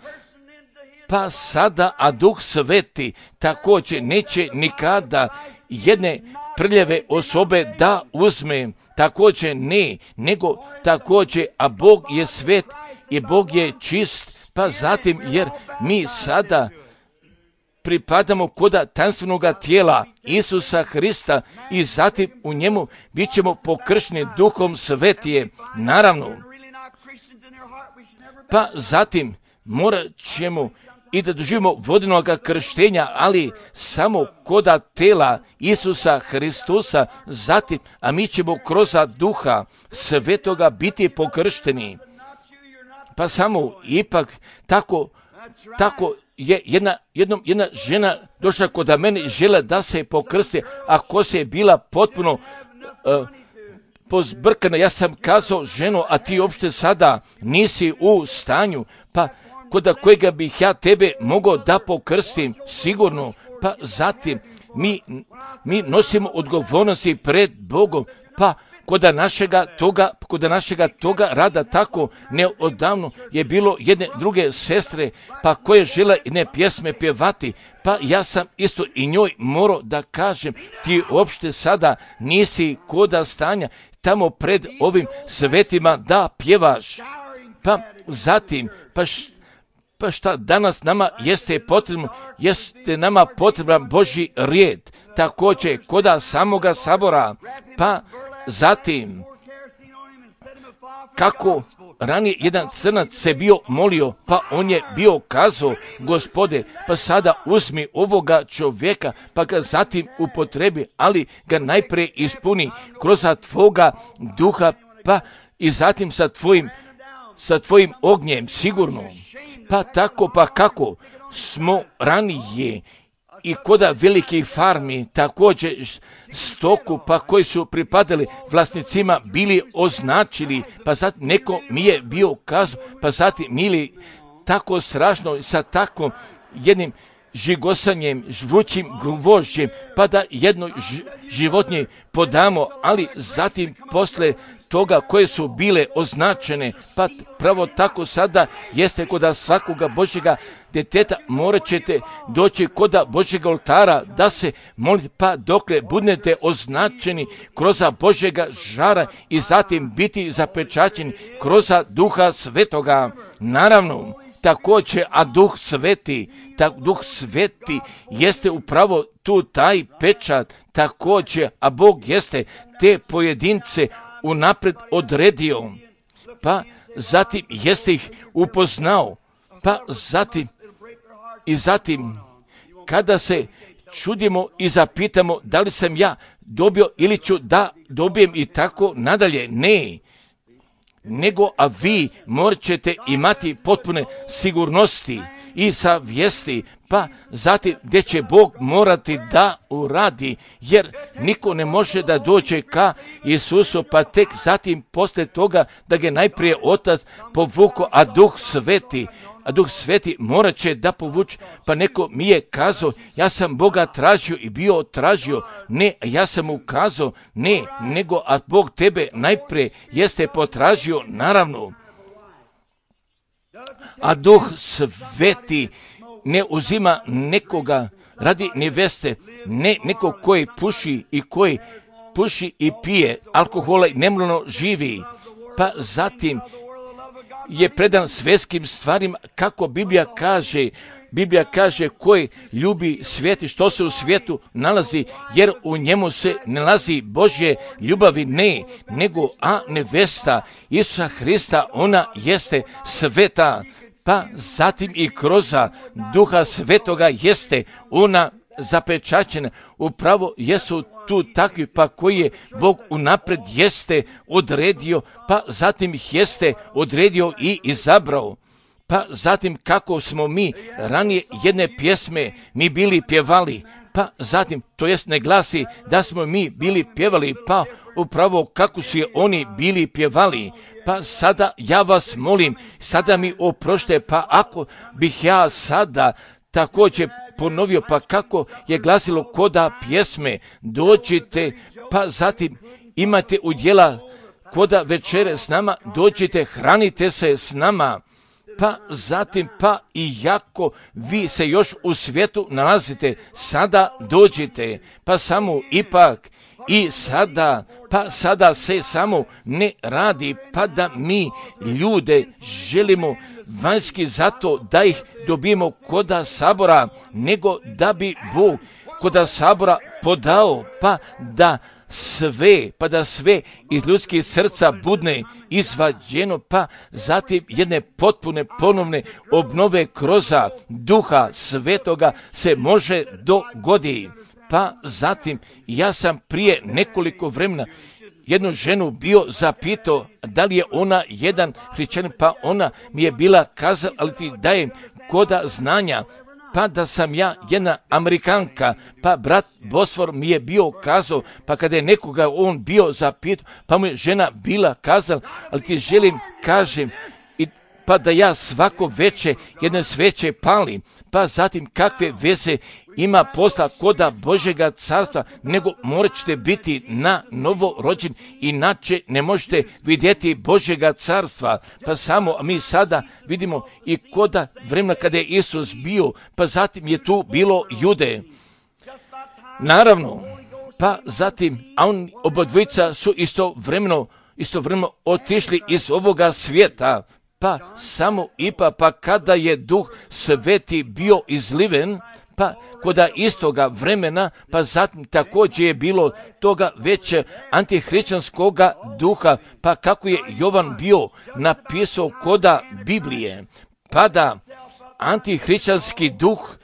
S1: pa sada, a Duh Sveti također neće nikada jedne prljave osobe da uzme, također ne, nego također, a Bog je svet i Bog je čist, pa zatim, jer mi sada pripadamo koda tanstvenoga tijela Isusa Hrista i zatim u njemu bit ćemo pokršteni Duhom Svetije, naravno. Pa zatim morat ćemo i da doživimo vodenog krštenja, ali samo koda tela Isusa Hristusa, zatim, a mi ćemo kroz Duha Svetoga biti pokršteni. Pa samo ipak tako je jedna žena došla kod mene, žele da se pokrsti, a ko se je bila potpuno pozbrkana. Ja sam kazao, ženo, a ti uopšte sada nisi u stanju, pa kod kojega bih ja tebe mogao da pokrstim, sigurno. Pa zatim mi nosimo odgovornosti pred Bogom, pa kod našega toga rada tako neodavno je bilo jedne druge sestre, pa koje žele jedne pjesme pjevati, pa ja sam isto i njoj morao da kažem, ti uopšte sada nisi koda stanja tamo pred ovim svetima da pjevaš. Pa zatim, pa šta danas nama jeste nama potreban Božji rijed, također koda samoga sabora, pa zatim, kako ranije jedan crnac se bio molio, pa on je bio kazao, Gospode, pa sada uzmi ovoga čovjeka, pa ga zatim upotrebi, ali ga najprije ispuni kroz tvoga duha, pa i zatim sa tvojim ognjem, sigurno. Pa tako, pa kako smo ranije i koda velikih farmi, također stoku, pa koji su pripadali vlasnicima, bili označili, pa zatim neko mi je bio kazao, pa zatim mili tako strašno sa takvom jednim žigosanjem, vrućim gvožđem, pa da jedno životinje podamo, ali zatim posle toga koje su bile označene, pa pravo tako sada jeste kod svakoga Božjega djeteta, morat ćete doći kod Božjega oltara da se molite, pa dokle budete označeni kroz Božjega žara i zatim biti zapečaćeni kroz Duha Svetoga. Naravno, također, a Duh Sveti jeste upravo tu taj pečat, također, a Bog jeste te pojedince unapred odredio, pa zatim jeste ih upoznao, pa zatim kada se čudimo i zapitamo da li sam ja dobio ili ću da dobijem i tako nadalje, ne, nego a vi morat ćete imati potpune sigurnosti i savjesti, pa zatim gdje će Bog morati da uradi, jer niko ne može da dođe ka Isusu, pa tek zatim posle toga da ga najprije Otac povuko, a Duh Sveti morat će da povuče. Pa neko mi je kazao, ja sam Boga tražio i bio tražio, ne, ja sam mu kazao, ne, nego a Bog tebe najprije jeste potražio, naravno. A Duh Sveti ne uzima nekoga radi neveste, ne nekog koji puši i pije alkohola i nemoralno živi, pa zatim je predan svjetskim stvarima, kako Biblija kaže koji ljubi svijet i što se u svijetu nalazi, jer u njemu se ne nalazi Božje ljubavi, ne, nego nevesta Isusa Hrista, ona jeste sveta, pa zatim i kroz Duha Svetoga jeste ona zapečaćena. Upravo jesu tu takvi, pa koji je Bog unapred jeste odredio, pa zatim ih jeste odredio i izabrao. Pa zatim kako smo mi ranije jedne pjesme mi bili pjevali, pa zatim, to jest ne glasi da smo mi bili pjevali, pa upravo kako su je oni bili pjevali. Pa sada ja vas molim, sada mi oprošte, pa ako bih ja sada također ponovio, pa kako je glasilo koda pjesme, dođite, pa zatim imate udjela koda večere s nama, dođite, hranite se s nama. Pa zatim, pa i jako vi se još u svijetu nalazite, sada dođite, pa samo ipak i sada, pa sada se samo ne radi, pa da mi ljude želimo vanjski zato da ih dobijemo koda sabora, nego da bi Bog koda sabora podao, pa da da sve iz ljudskih srca budne izvađeno, pa zatim jedne potpune ponovne obnove kroz Duha Svetoga se može dogoditi. Pa zatim ja sam prije nekoliko vremena jednu ženu bio zapitao da li je ona jedan hrišćanin, pa ona mi je bila kazala, ali ti dajem koda znanja, pa da sam ja jedna Amerikanka, pa brat Bosfor mi je bio kazao, pa kada je nekoga on bio zapitao, pa mu je žena bila kazala, ali ti želim kažem, pa da ja svako veče jedne sveće palim, pa zatim kakve veze ima posla koda Božjega carstva, nego morat ćete biti na novo rođen, inače ne možete vidjeti Božjega carstva. Pa samo mi sada vidimo i koda vremena kada je Isus bio, pa zatim je tu bilo Jude. Naravno, pa zatim, a on obodvojica su istovremeno otišli iz ovoga svijeta, pa samo pa kada je Duh Sveti bio izliven, pa koda istoga vremena, pa zatim također je bilo toga već antihrišćanskoga duha, pa kako je Jovan bio napisao koda Biblije, pa da antihrišćanski duh,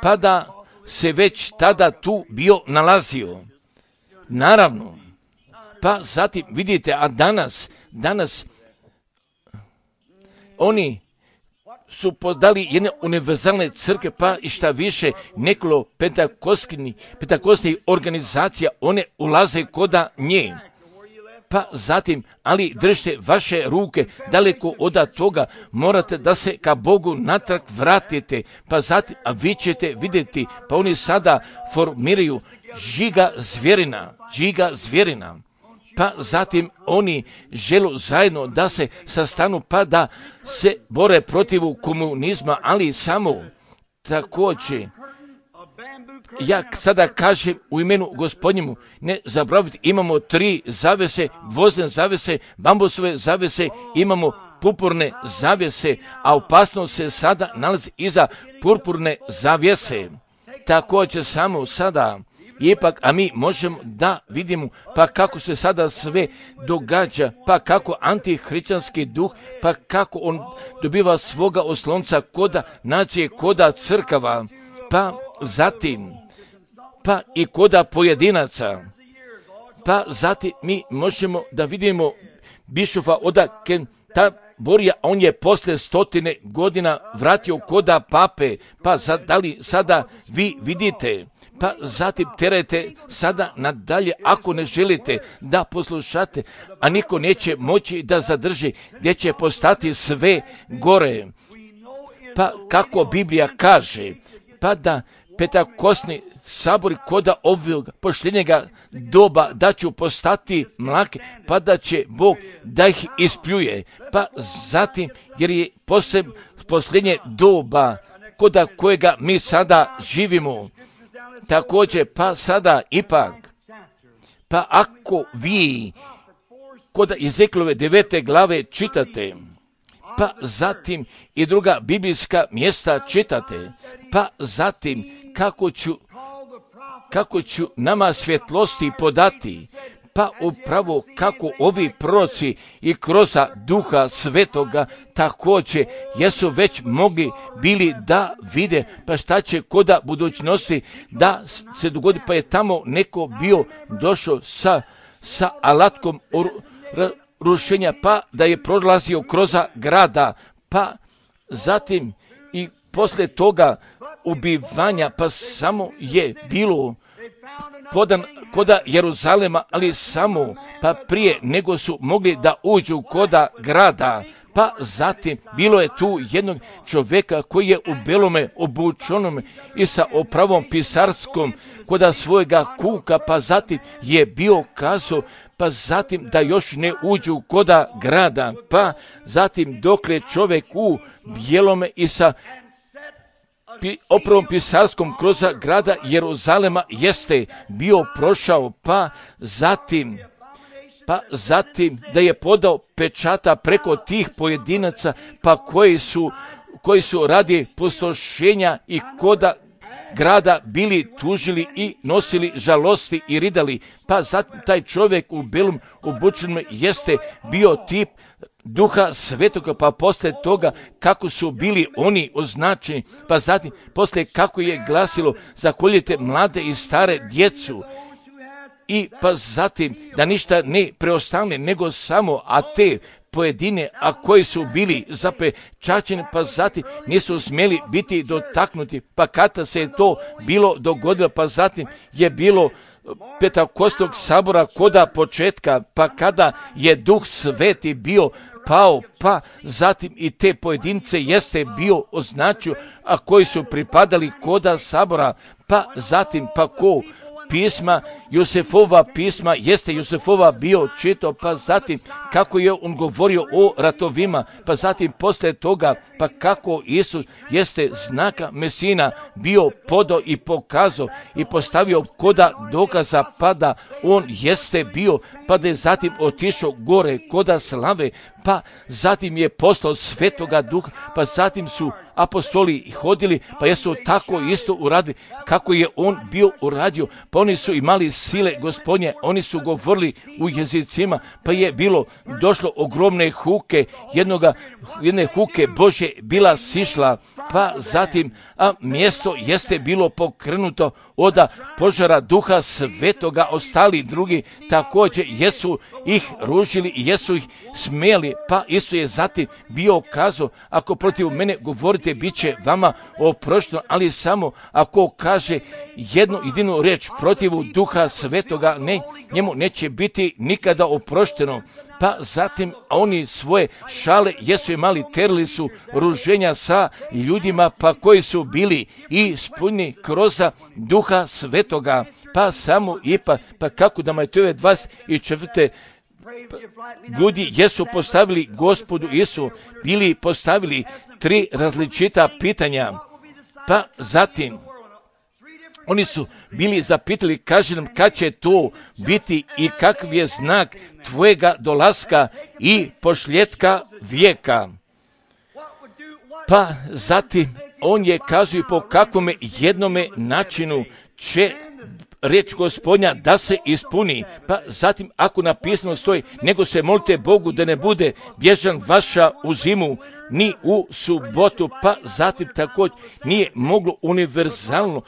S1: pa da se već tada tu bio nalazio. Naravno, pa zatim vidite, a danas oni su podali jedne univerzalne crkve, pa i šta više nekoliko pentakostnih organizacija, one ulaze koda nje. Pa zatim, ali držite vaše ruke daleko od toga, morate da se ka Bogu natrag vratite, pa zatim, a vi ćete vidjeti, pa oni sada formiraju žiga zvjerina. Pa zatim oni žele zajedno da se sastanu, pa da se bore protiv komunizma, ali samo također, ja sada kažem u imenu Gospodnjemu, ne zaboravite, imamo 3 zavese, vozne zavese, bambusove zavese, imamo purpurne zavese, a opasnost se sada nalazi iza purpurne zavjese. Također samo sada, ipak, a mi možemo da vidimo pa kako se sada sve događa, pa kako antihrišćanski duh, pa kako on dobiva svoga oslonca koda nacije, koda crkava, pa zatim, pa i koda pojedinaca. Pa zatim mi možemo da vidimo bišofa od Kenterburya, on je posle 100 godina vratio koda pape, pa da li sada vi vidite, pa zatim terajte sada nadalje ako ne želite da poslušate, a niko neće moći da zadrži, gdje će postati sve gore. Pa kako Biblija kaže, pa da pentakostni sabori koda ovog posljednjega doba da će postati mlake, pa da će Bog da ih ispljuje. Pa zatim, jer je posljednje doba koda kojega mi sada živimo. Također, pa sada ipak, pa ako vi kod Ezekielove 9. glave čitate, pa zatim i druga biblijska mjesta čitate, pa zatim kako ću nama svjetlosti podati, pa upravo kako ovi proroci i kroz Duha Svetoga također jesu već mogli bili da vide, pa šta će koda budućnosti da se dogodi, pa je tamo neko bio došao sa alatkom rušenja, pa da je prolazio kroz grada, pa zatim i poslije toga ubivanja, pa samo je bilo podan koda Jeruzalema, ali samo pa prije nego su mogli da uđu koda grada, pa zatim bilo je tu jednog čovjeka koji je u belome obučenome i sa opravom pisarskom koda svojega kuka, pa zatim je bio kazao, pa zatim da još ne uđu koda grada, pa zatim dokle čovjek u bijelome i sa opravom pisarskom kroz grada Jeruzalema jeste bio prošao, pa zatim da je podao pečata preko tih pojedinaca, pa koji su radi pustošenja i koda grada bili tužili i nosili žalosti i ridali. Pa zatim taj čovjek u belom obučenom jeste bio tip Duha Svetoga, pa posle toga kako su bili oni označeni, pa zatim posle kako je glasilo zakoljite mlade i stare djecu, i pa zatim da ništa ne preostane nego samo, a te pojedine, a koji su bili zapečaćeni, pa zatim nisu smjeli biti dotaknuti, pa kada se je to bilo dogodilo, pa zatim je bilo Pentekostnog sabora koda početka, pa kada je Duh Sveti bio pao, pa zatim i te pojedince jeste bio označio, a koji su pripadali koda sabora, pa zatim pa ko pisma, Josefova pisma, jeste Josefova bio čitao, pa zatim kako je on govorio o ratovima, pa zatim posle toga, pa kako Isus jeste znaka Mesina bio podao i pokazao i postavio koda dokaza, pa da on jeste bio, pa da je zatim otišao gore koda slave, pa zatim je poslao Svetoga Duha, pa zatim su apostoli hodili, pa jesu tako isto uradili kako je on bio uradio, pa oni su imali sile Gospodnje, oni su govorili u jezicima, pa je bilo došlo ogromne huke, jedne huke Božje bila sišla, pa zatim mjesto jeste bilo pokrenuto od požara Duha Svetoga, ostali drugi također jesu ih ružili i jesu ih smijeli, pa Isus je zatim bio kazao, ako protiv mene govorite, bit će vama oprošteno, ali samo ako kaže jednu jedinu riječ protiv Duha Svetoga, ne, njemu neće biti nikada oprošteno. Pa zatim oni svoje šale jesu imali, terili su ruženja sa ljudima, pa koji su bili ispunjeni kroz Duha Svetoga, pa samo pa kako da Matejove 24. ljudi jesu postavili Gospodu Isu, bili postavili 3 različita pitanja, pa zatim oni su bili zapitali, kaže nam kad će to biti i kakav je znak tvojega dolaska i pošljetka vijeka. Pa zatim on je kazuje po kakvome jednome načinu će riječ Gospodnja da se ispuni, pa zatim ako napisano stoji, nego se molite Bogu da ne bude bježan vaša u zimu, ni u subotu, pa zatim također nije moglo univerzalno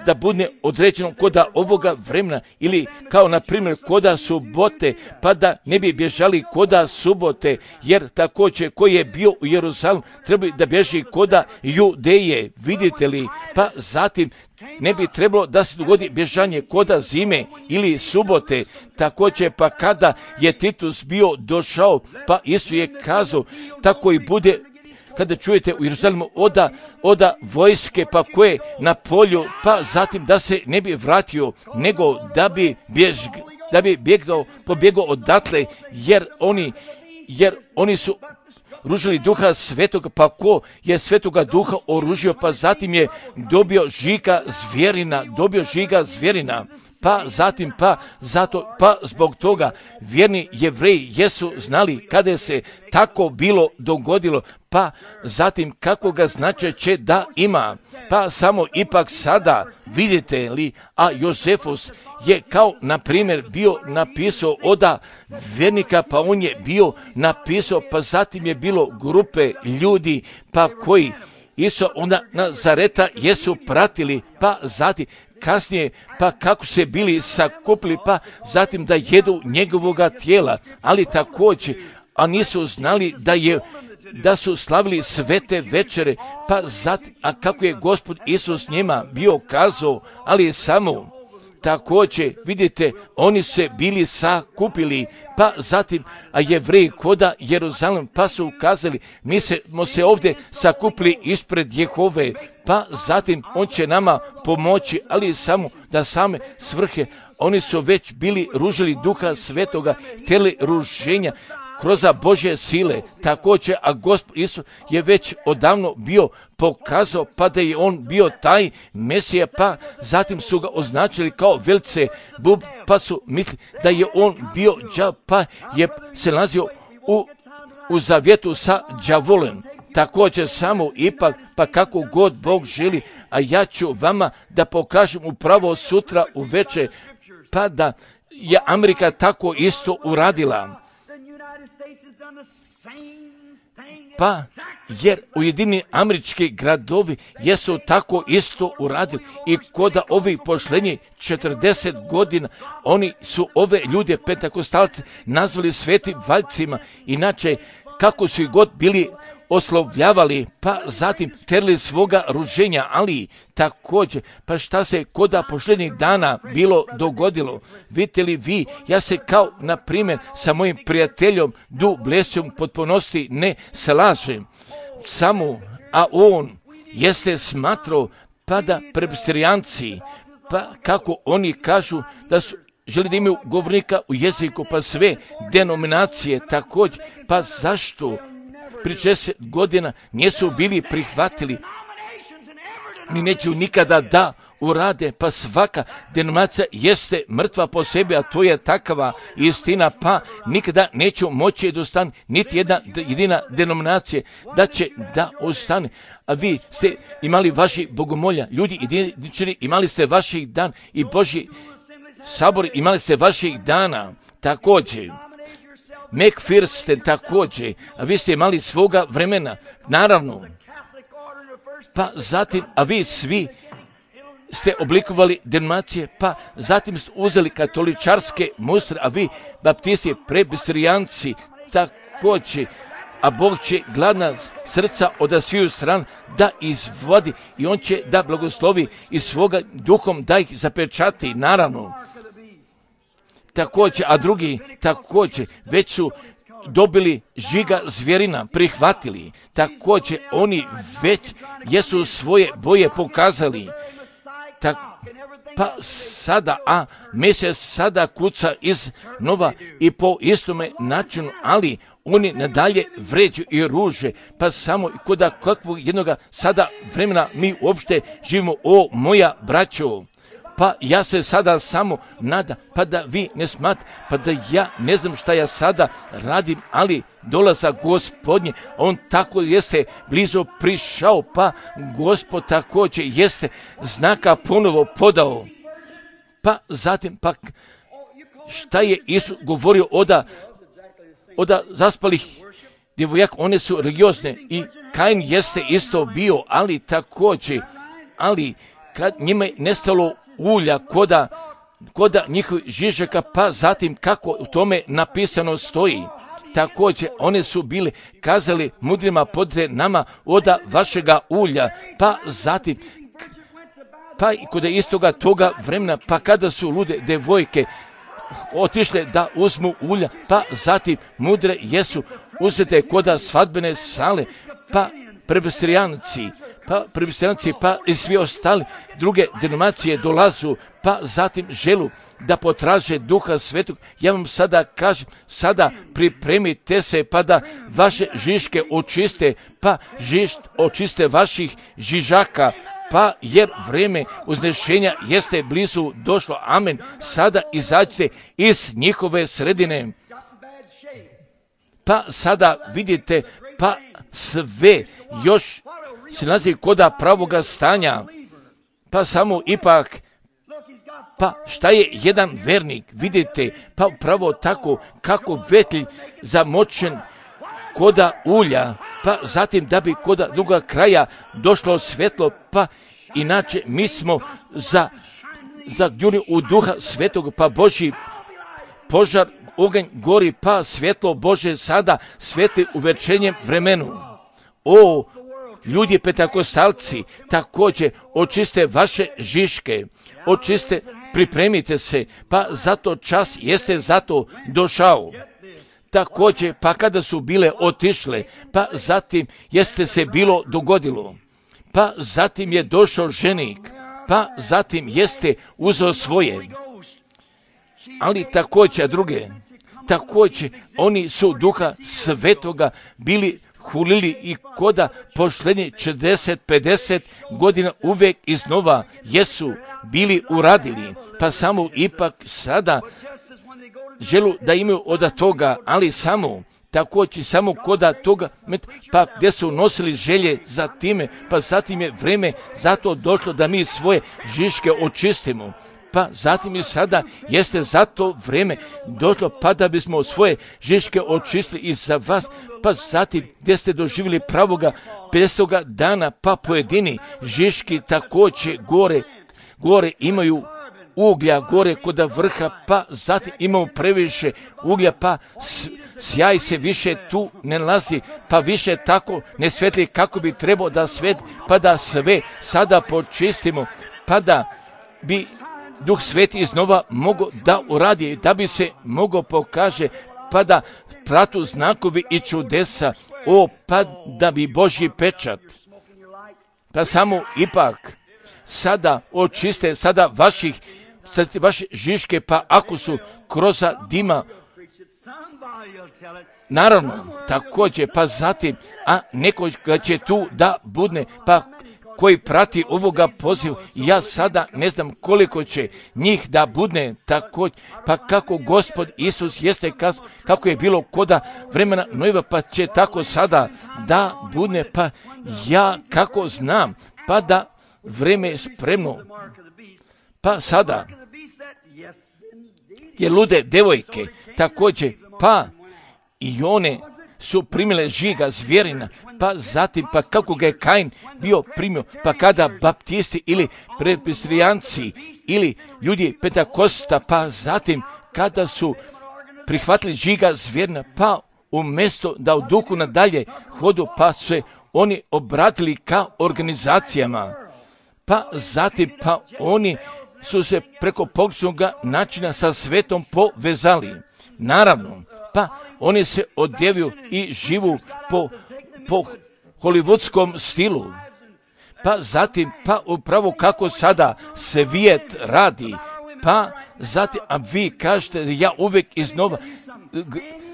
S1: da bude određeno koda ovoga vremena ili kao na primjer koda subote, pa da ne bi bježali koda subote, jer također koji je bio u Jeruzalemu treba da bježi koda Judeje, vidite li, pa zatim ne bi trebalo da se dogodi bježanje koda zime ili subote, također pa kada je Titus bio došao, pa Isus je kazao, tako i bude kada čujete u Jeruzalemu oda vojske, pa koje na polju, pa zatim da se ne bi vratio, nego da bi pobjegao odatle, jer oni su ružili Duha Svetoga, pa ko je Svetoga Duha oružio, pa zatim je dobio žiga zvjerina, pa zatim, pa zbog toga vjerni Jevreji jesu znali kada se tako bilo dogodilo, pa zatim kako ga značaj će da ima, pa samo ipak sada vidite li, a Josefus je kao na primjer bio napisao oda vjernika, pa on je bio napisao, pa zatim je bilo grupe ljudi, pa koji Isu onda Nazareta jesu pratili, pa zatim kasnije, pa kako se bili sakupili, pa zatim da jedu njegovoga tijela, ali također, a nisu znali da su slavili svete večere, pa zatim, a kako je Gospod Isus njima bio kazao, ali samo također, vidite, oni su se bili sakupili, pa zatim, a Jevreji koda Jeruzalem, pa su ukazali, mi smo se ovdje sakupili ispred Jehove, pa zatim on će nama pomoći, ali samo da same svrhe, oni su već bili ružili Duha Svetoga, htjeli ruženja kroz Božje sile, također, a Gospod Isus je već odavno bio pokazao, pa da je on bio taj Mesija, pa zatim su ga označili kao Belcebub, pa su mislili da je on bio đav, pa je se nalazio u zavjetu sa đavolem. također samo ipak, pa kako god Bog želi, a ja ću vama da pokažem upravo sutra uveče, pa da je Amerika tako isto uradila. Pa, jer Ujedinjeni Američki gradovi jesu tako isto uradili i koda ovih posljednjih 40 godina, oni su ove ljude pentakostalce nazvali svetim valjcima, inače kako su ih god bili oslovljavali, pa zatim terli svoga ruženja, ali također, pa šta se koda posljednjih dana bilo dogodilo? Vidite li vi, ja se kao, na primjer, sa mojim prijateljom Du Blesijom potpunosti ne slažem, samo, a on jeste smatrao, pa da presbiterijanci, pa kako oni kažu da su želi da imaju govornika u jeziku, pa sve denominacije također, pa zašto pri 60 godina nisu bili prihvatili, ni neću nikada da urade, pa svaka denominacija jeste mrtva po sebi, a to je takva istina, pa nikada neću moći da ostane niti jedna jedina denominacija da će da ostane. A vi ste imali vaši bogomolja, ljudi jedinični, imali ste vaših dan i Božji sabor, imali ste vaših dana, također. McPherson također, a vi ste imali svoga vremena, naravno. Pa zatim, a vi svi ste oblikovali denominacije, pa zatim ste uzeli katoličarske mustre, a vi baptisti, presbiterijanci također, a Bog će gladna srca od sviju stran da izvodi i on će da blagoslovi i svoga duhom da ih zapečati, naravno. Također, a drugi također već su dobili žiga zvjerina, prihvatili. Također, oni već jesu svoje boje pokazali. Pa sada, a mjesec sada kuca iz nova i po istome načinu, ali oni nadalje vređu i ruže, pa samo koda kakvog jednoga sada vremena mi uopšte živimo, o moja braćo. Pa ja se sada samo nadam, pa da vi ne smatrate, pa da ja ne znam šta ja sada radim, ali dolazak Gospodnje, on tako jeste blizu prišao, pa Gospod također jeste znaka ponovo podao. Pa zatim, pa šta je Isus govorio oda zaspalih djevojaka, one su religiozne i Kain jeste isto bio, ali također, ali kad njima je nestalo ulja koda njihovih žižaka, pa zatim kako u tome napisano stoji. Također one su bile kazali mudrima podite nama oda vašega ulja, pa zatim pa i kod istoga toga vremena, pa kada su lude devojke otišle da uzmu ulja, pa zatim mudre jesu uzete koda svadbene sale, pa presbiterijanci, pa i svi ostali druge denominacije dolazu, pa zatim želu da potraže Duha Svetog. Ja vam sada kažem, sada pripremite se pa da vaše žiške očiste, pa očiste vaših žižaka, pa jer vrijeme uznešenja jeste blizu došlo. Amen. Sada izađite iz njihove sredine. Pa sada vidite, pa sve još se nalazi koda pravoga stanja, pa samo ipak, pa šta je jedan vernik, vidite, pa upravo tako kako vetelj zamočen koda ulja, pa zatim da bi koda druga kraja došlo svetlo, pa inače mi smo zagljuni u Duha Svetog, pa Božji požar, oganj gori, pa svetlo Bože sada sveti u večernjem vremenu. O, ljudi pentakostalci, također očiste vaše žiške, očiste, pripremite se, pa zato čas jeste zato došao. Također, pa kada su bile otišle, pa zatim jeste se bilo dogodilo, pa zatim je došao ženik, pa zatim jeste uzeo svoje, ali također druge, također oni su Duha Svetoga bili hulili i koda posljednje 40-50 godina uvijek iznova jesu bili uradili, pa samo ipak sada želu da imaju od toga, ali samo također samo koda toga, pa gdje su nosili želje za time, pa zatim je vreme zato došlo da mi svoje žiške očistimo. Pa zatim i sada jeste za to vreme došlo, pa da bismo svoje žiške očistili i za vas, pa zatim gdje ste doživjeli pravoga 50. dana, pa pojedini žiški također gore imaju uglja gore kod vrha, pa zatim imamo previše uglja, pa sjaj se više tu ne nalazi, pa više tako ne svetli kako bi trebao da svet, pa da sve sada počistimo, pa da bi Duh Sveti iznova mogao da uradi, da bi se mogao pokaže, pa da pratu znakovi i čudesa, pa da bi Božji pečat, pa samo ipak sada očiste sada vaše žiške, pa ako su kroz dima, naravno, također, pa zatim, a neko će tu da budne, pa koji prati ovoga pozivu, ja sada ne znam koliko će njih da budne također, pa kako Gospod Isus jeste kako je bilo koda vremena Nojeva, pa će tako sada da budne, pa ja kako znam, pa da vreme je spremno, pa sada je lude devojke također, pa i one su primile žiga zvjerina, pa zatim, pa kako ga je Kain bio primio, pa kada baptisti ili presbiterijanci ili ljudi Pentakosta, pa zatim kada su prihvatili žiga zvjerina, pa umjesto da u duhu nadalje hodu, pa se oni obratili ka organizacijama, pa zatim, pa oni su se preko pogrešnog načina sa svetom povezali. Naravno, pa oni se odjevaju i živu po hollywoodskom stilu. Pa zatim, pa upravo kako sada svijet radi, pa zatim, a vi kažete ja uvijek iznova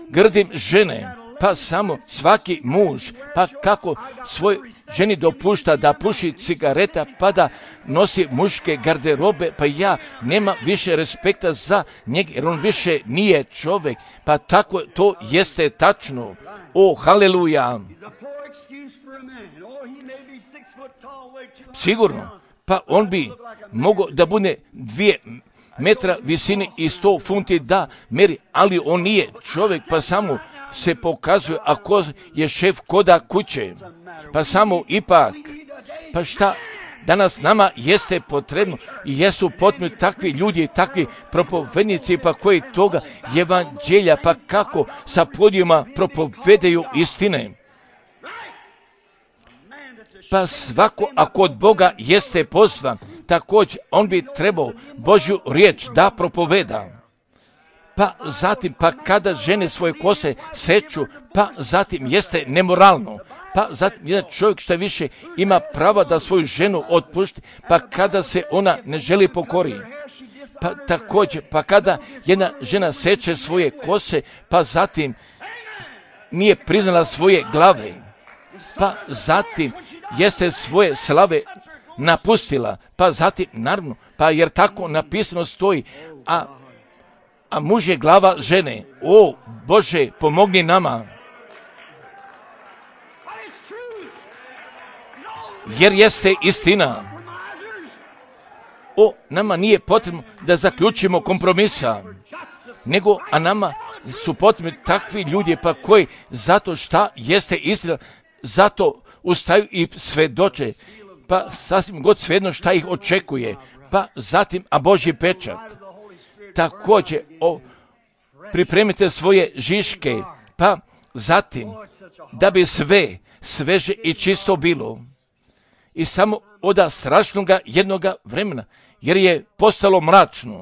S1: grdim žene, pa samo svaki muž, pa kako svoj ženi dopušta da puši cigareta, pa da nosi muške garderobe, pa ja nema više respekta za njega, jer on više nije čovjek, pa tako to jeste tačno. O, haleluja! Sigurno, pa on bi mogao da bude 2 metra visine i 100 funti da meri, ali on nije čovjek, pa samo se pokazuje ako je šef koda kuće, pa samo ipak, pa šta danas nama jeste potrebno i jesu potrebni takvi ljudi, takvi propovednici, pa koji toga evanđelja, pa kako sa podijuma propovedaju istine. Pa svako ako od Boga jeste pozvan, također on bi trebao Božju riječ da propoveda. Pa zatim, pa kada žene svoje kose seču, pa zatim jeste nemoralno. Pa zatim jedan čovjek što više ima prava da svoju ženu otpušti, pa kada se ona ne želi pokori. Pa također, pa kada jedna žena seče svoje kose, pa zatim nije priznala svoje glave. Pa zatim jeste svoje slave napustila, pa zatim, naravno, pa jer tako napisano stoji, a muž je glava žene. O, Bože, pomogni nama. Jer jeste istina. O, nama nije potrebno da zaključimo kompromisa, nego, a nama su potrebni takvi ljudi, pa koji zato šta jeste istina, zato ustaju i svedoče, pa sasvim god svejedno šta ih očekuje, pa zatim, a Božji pečat. Također, pripremite svoje žiške, pa zatim, da bi sve sveže i čisto bilo. I samo od strašnoga jednoga vremena, jer je postalo mračno.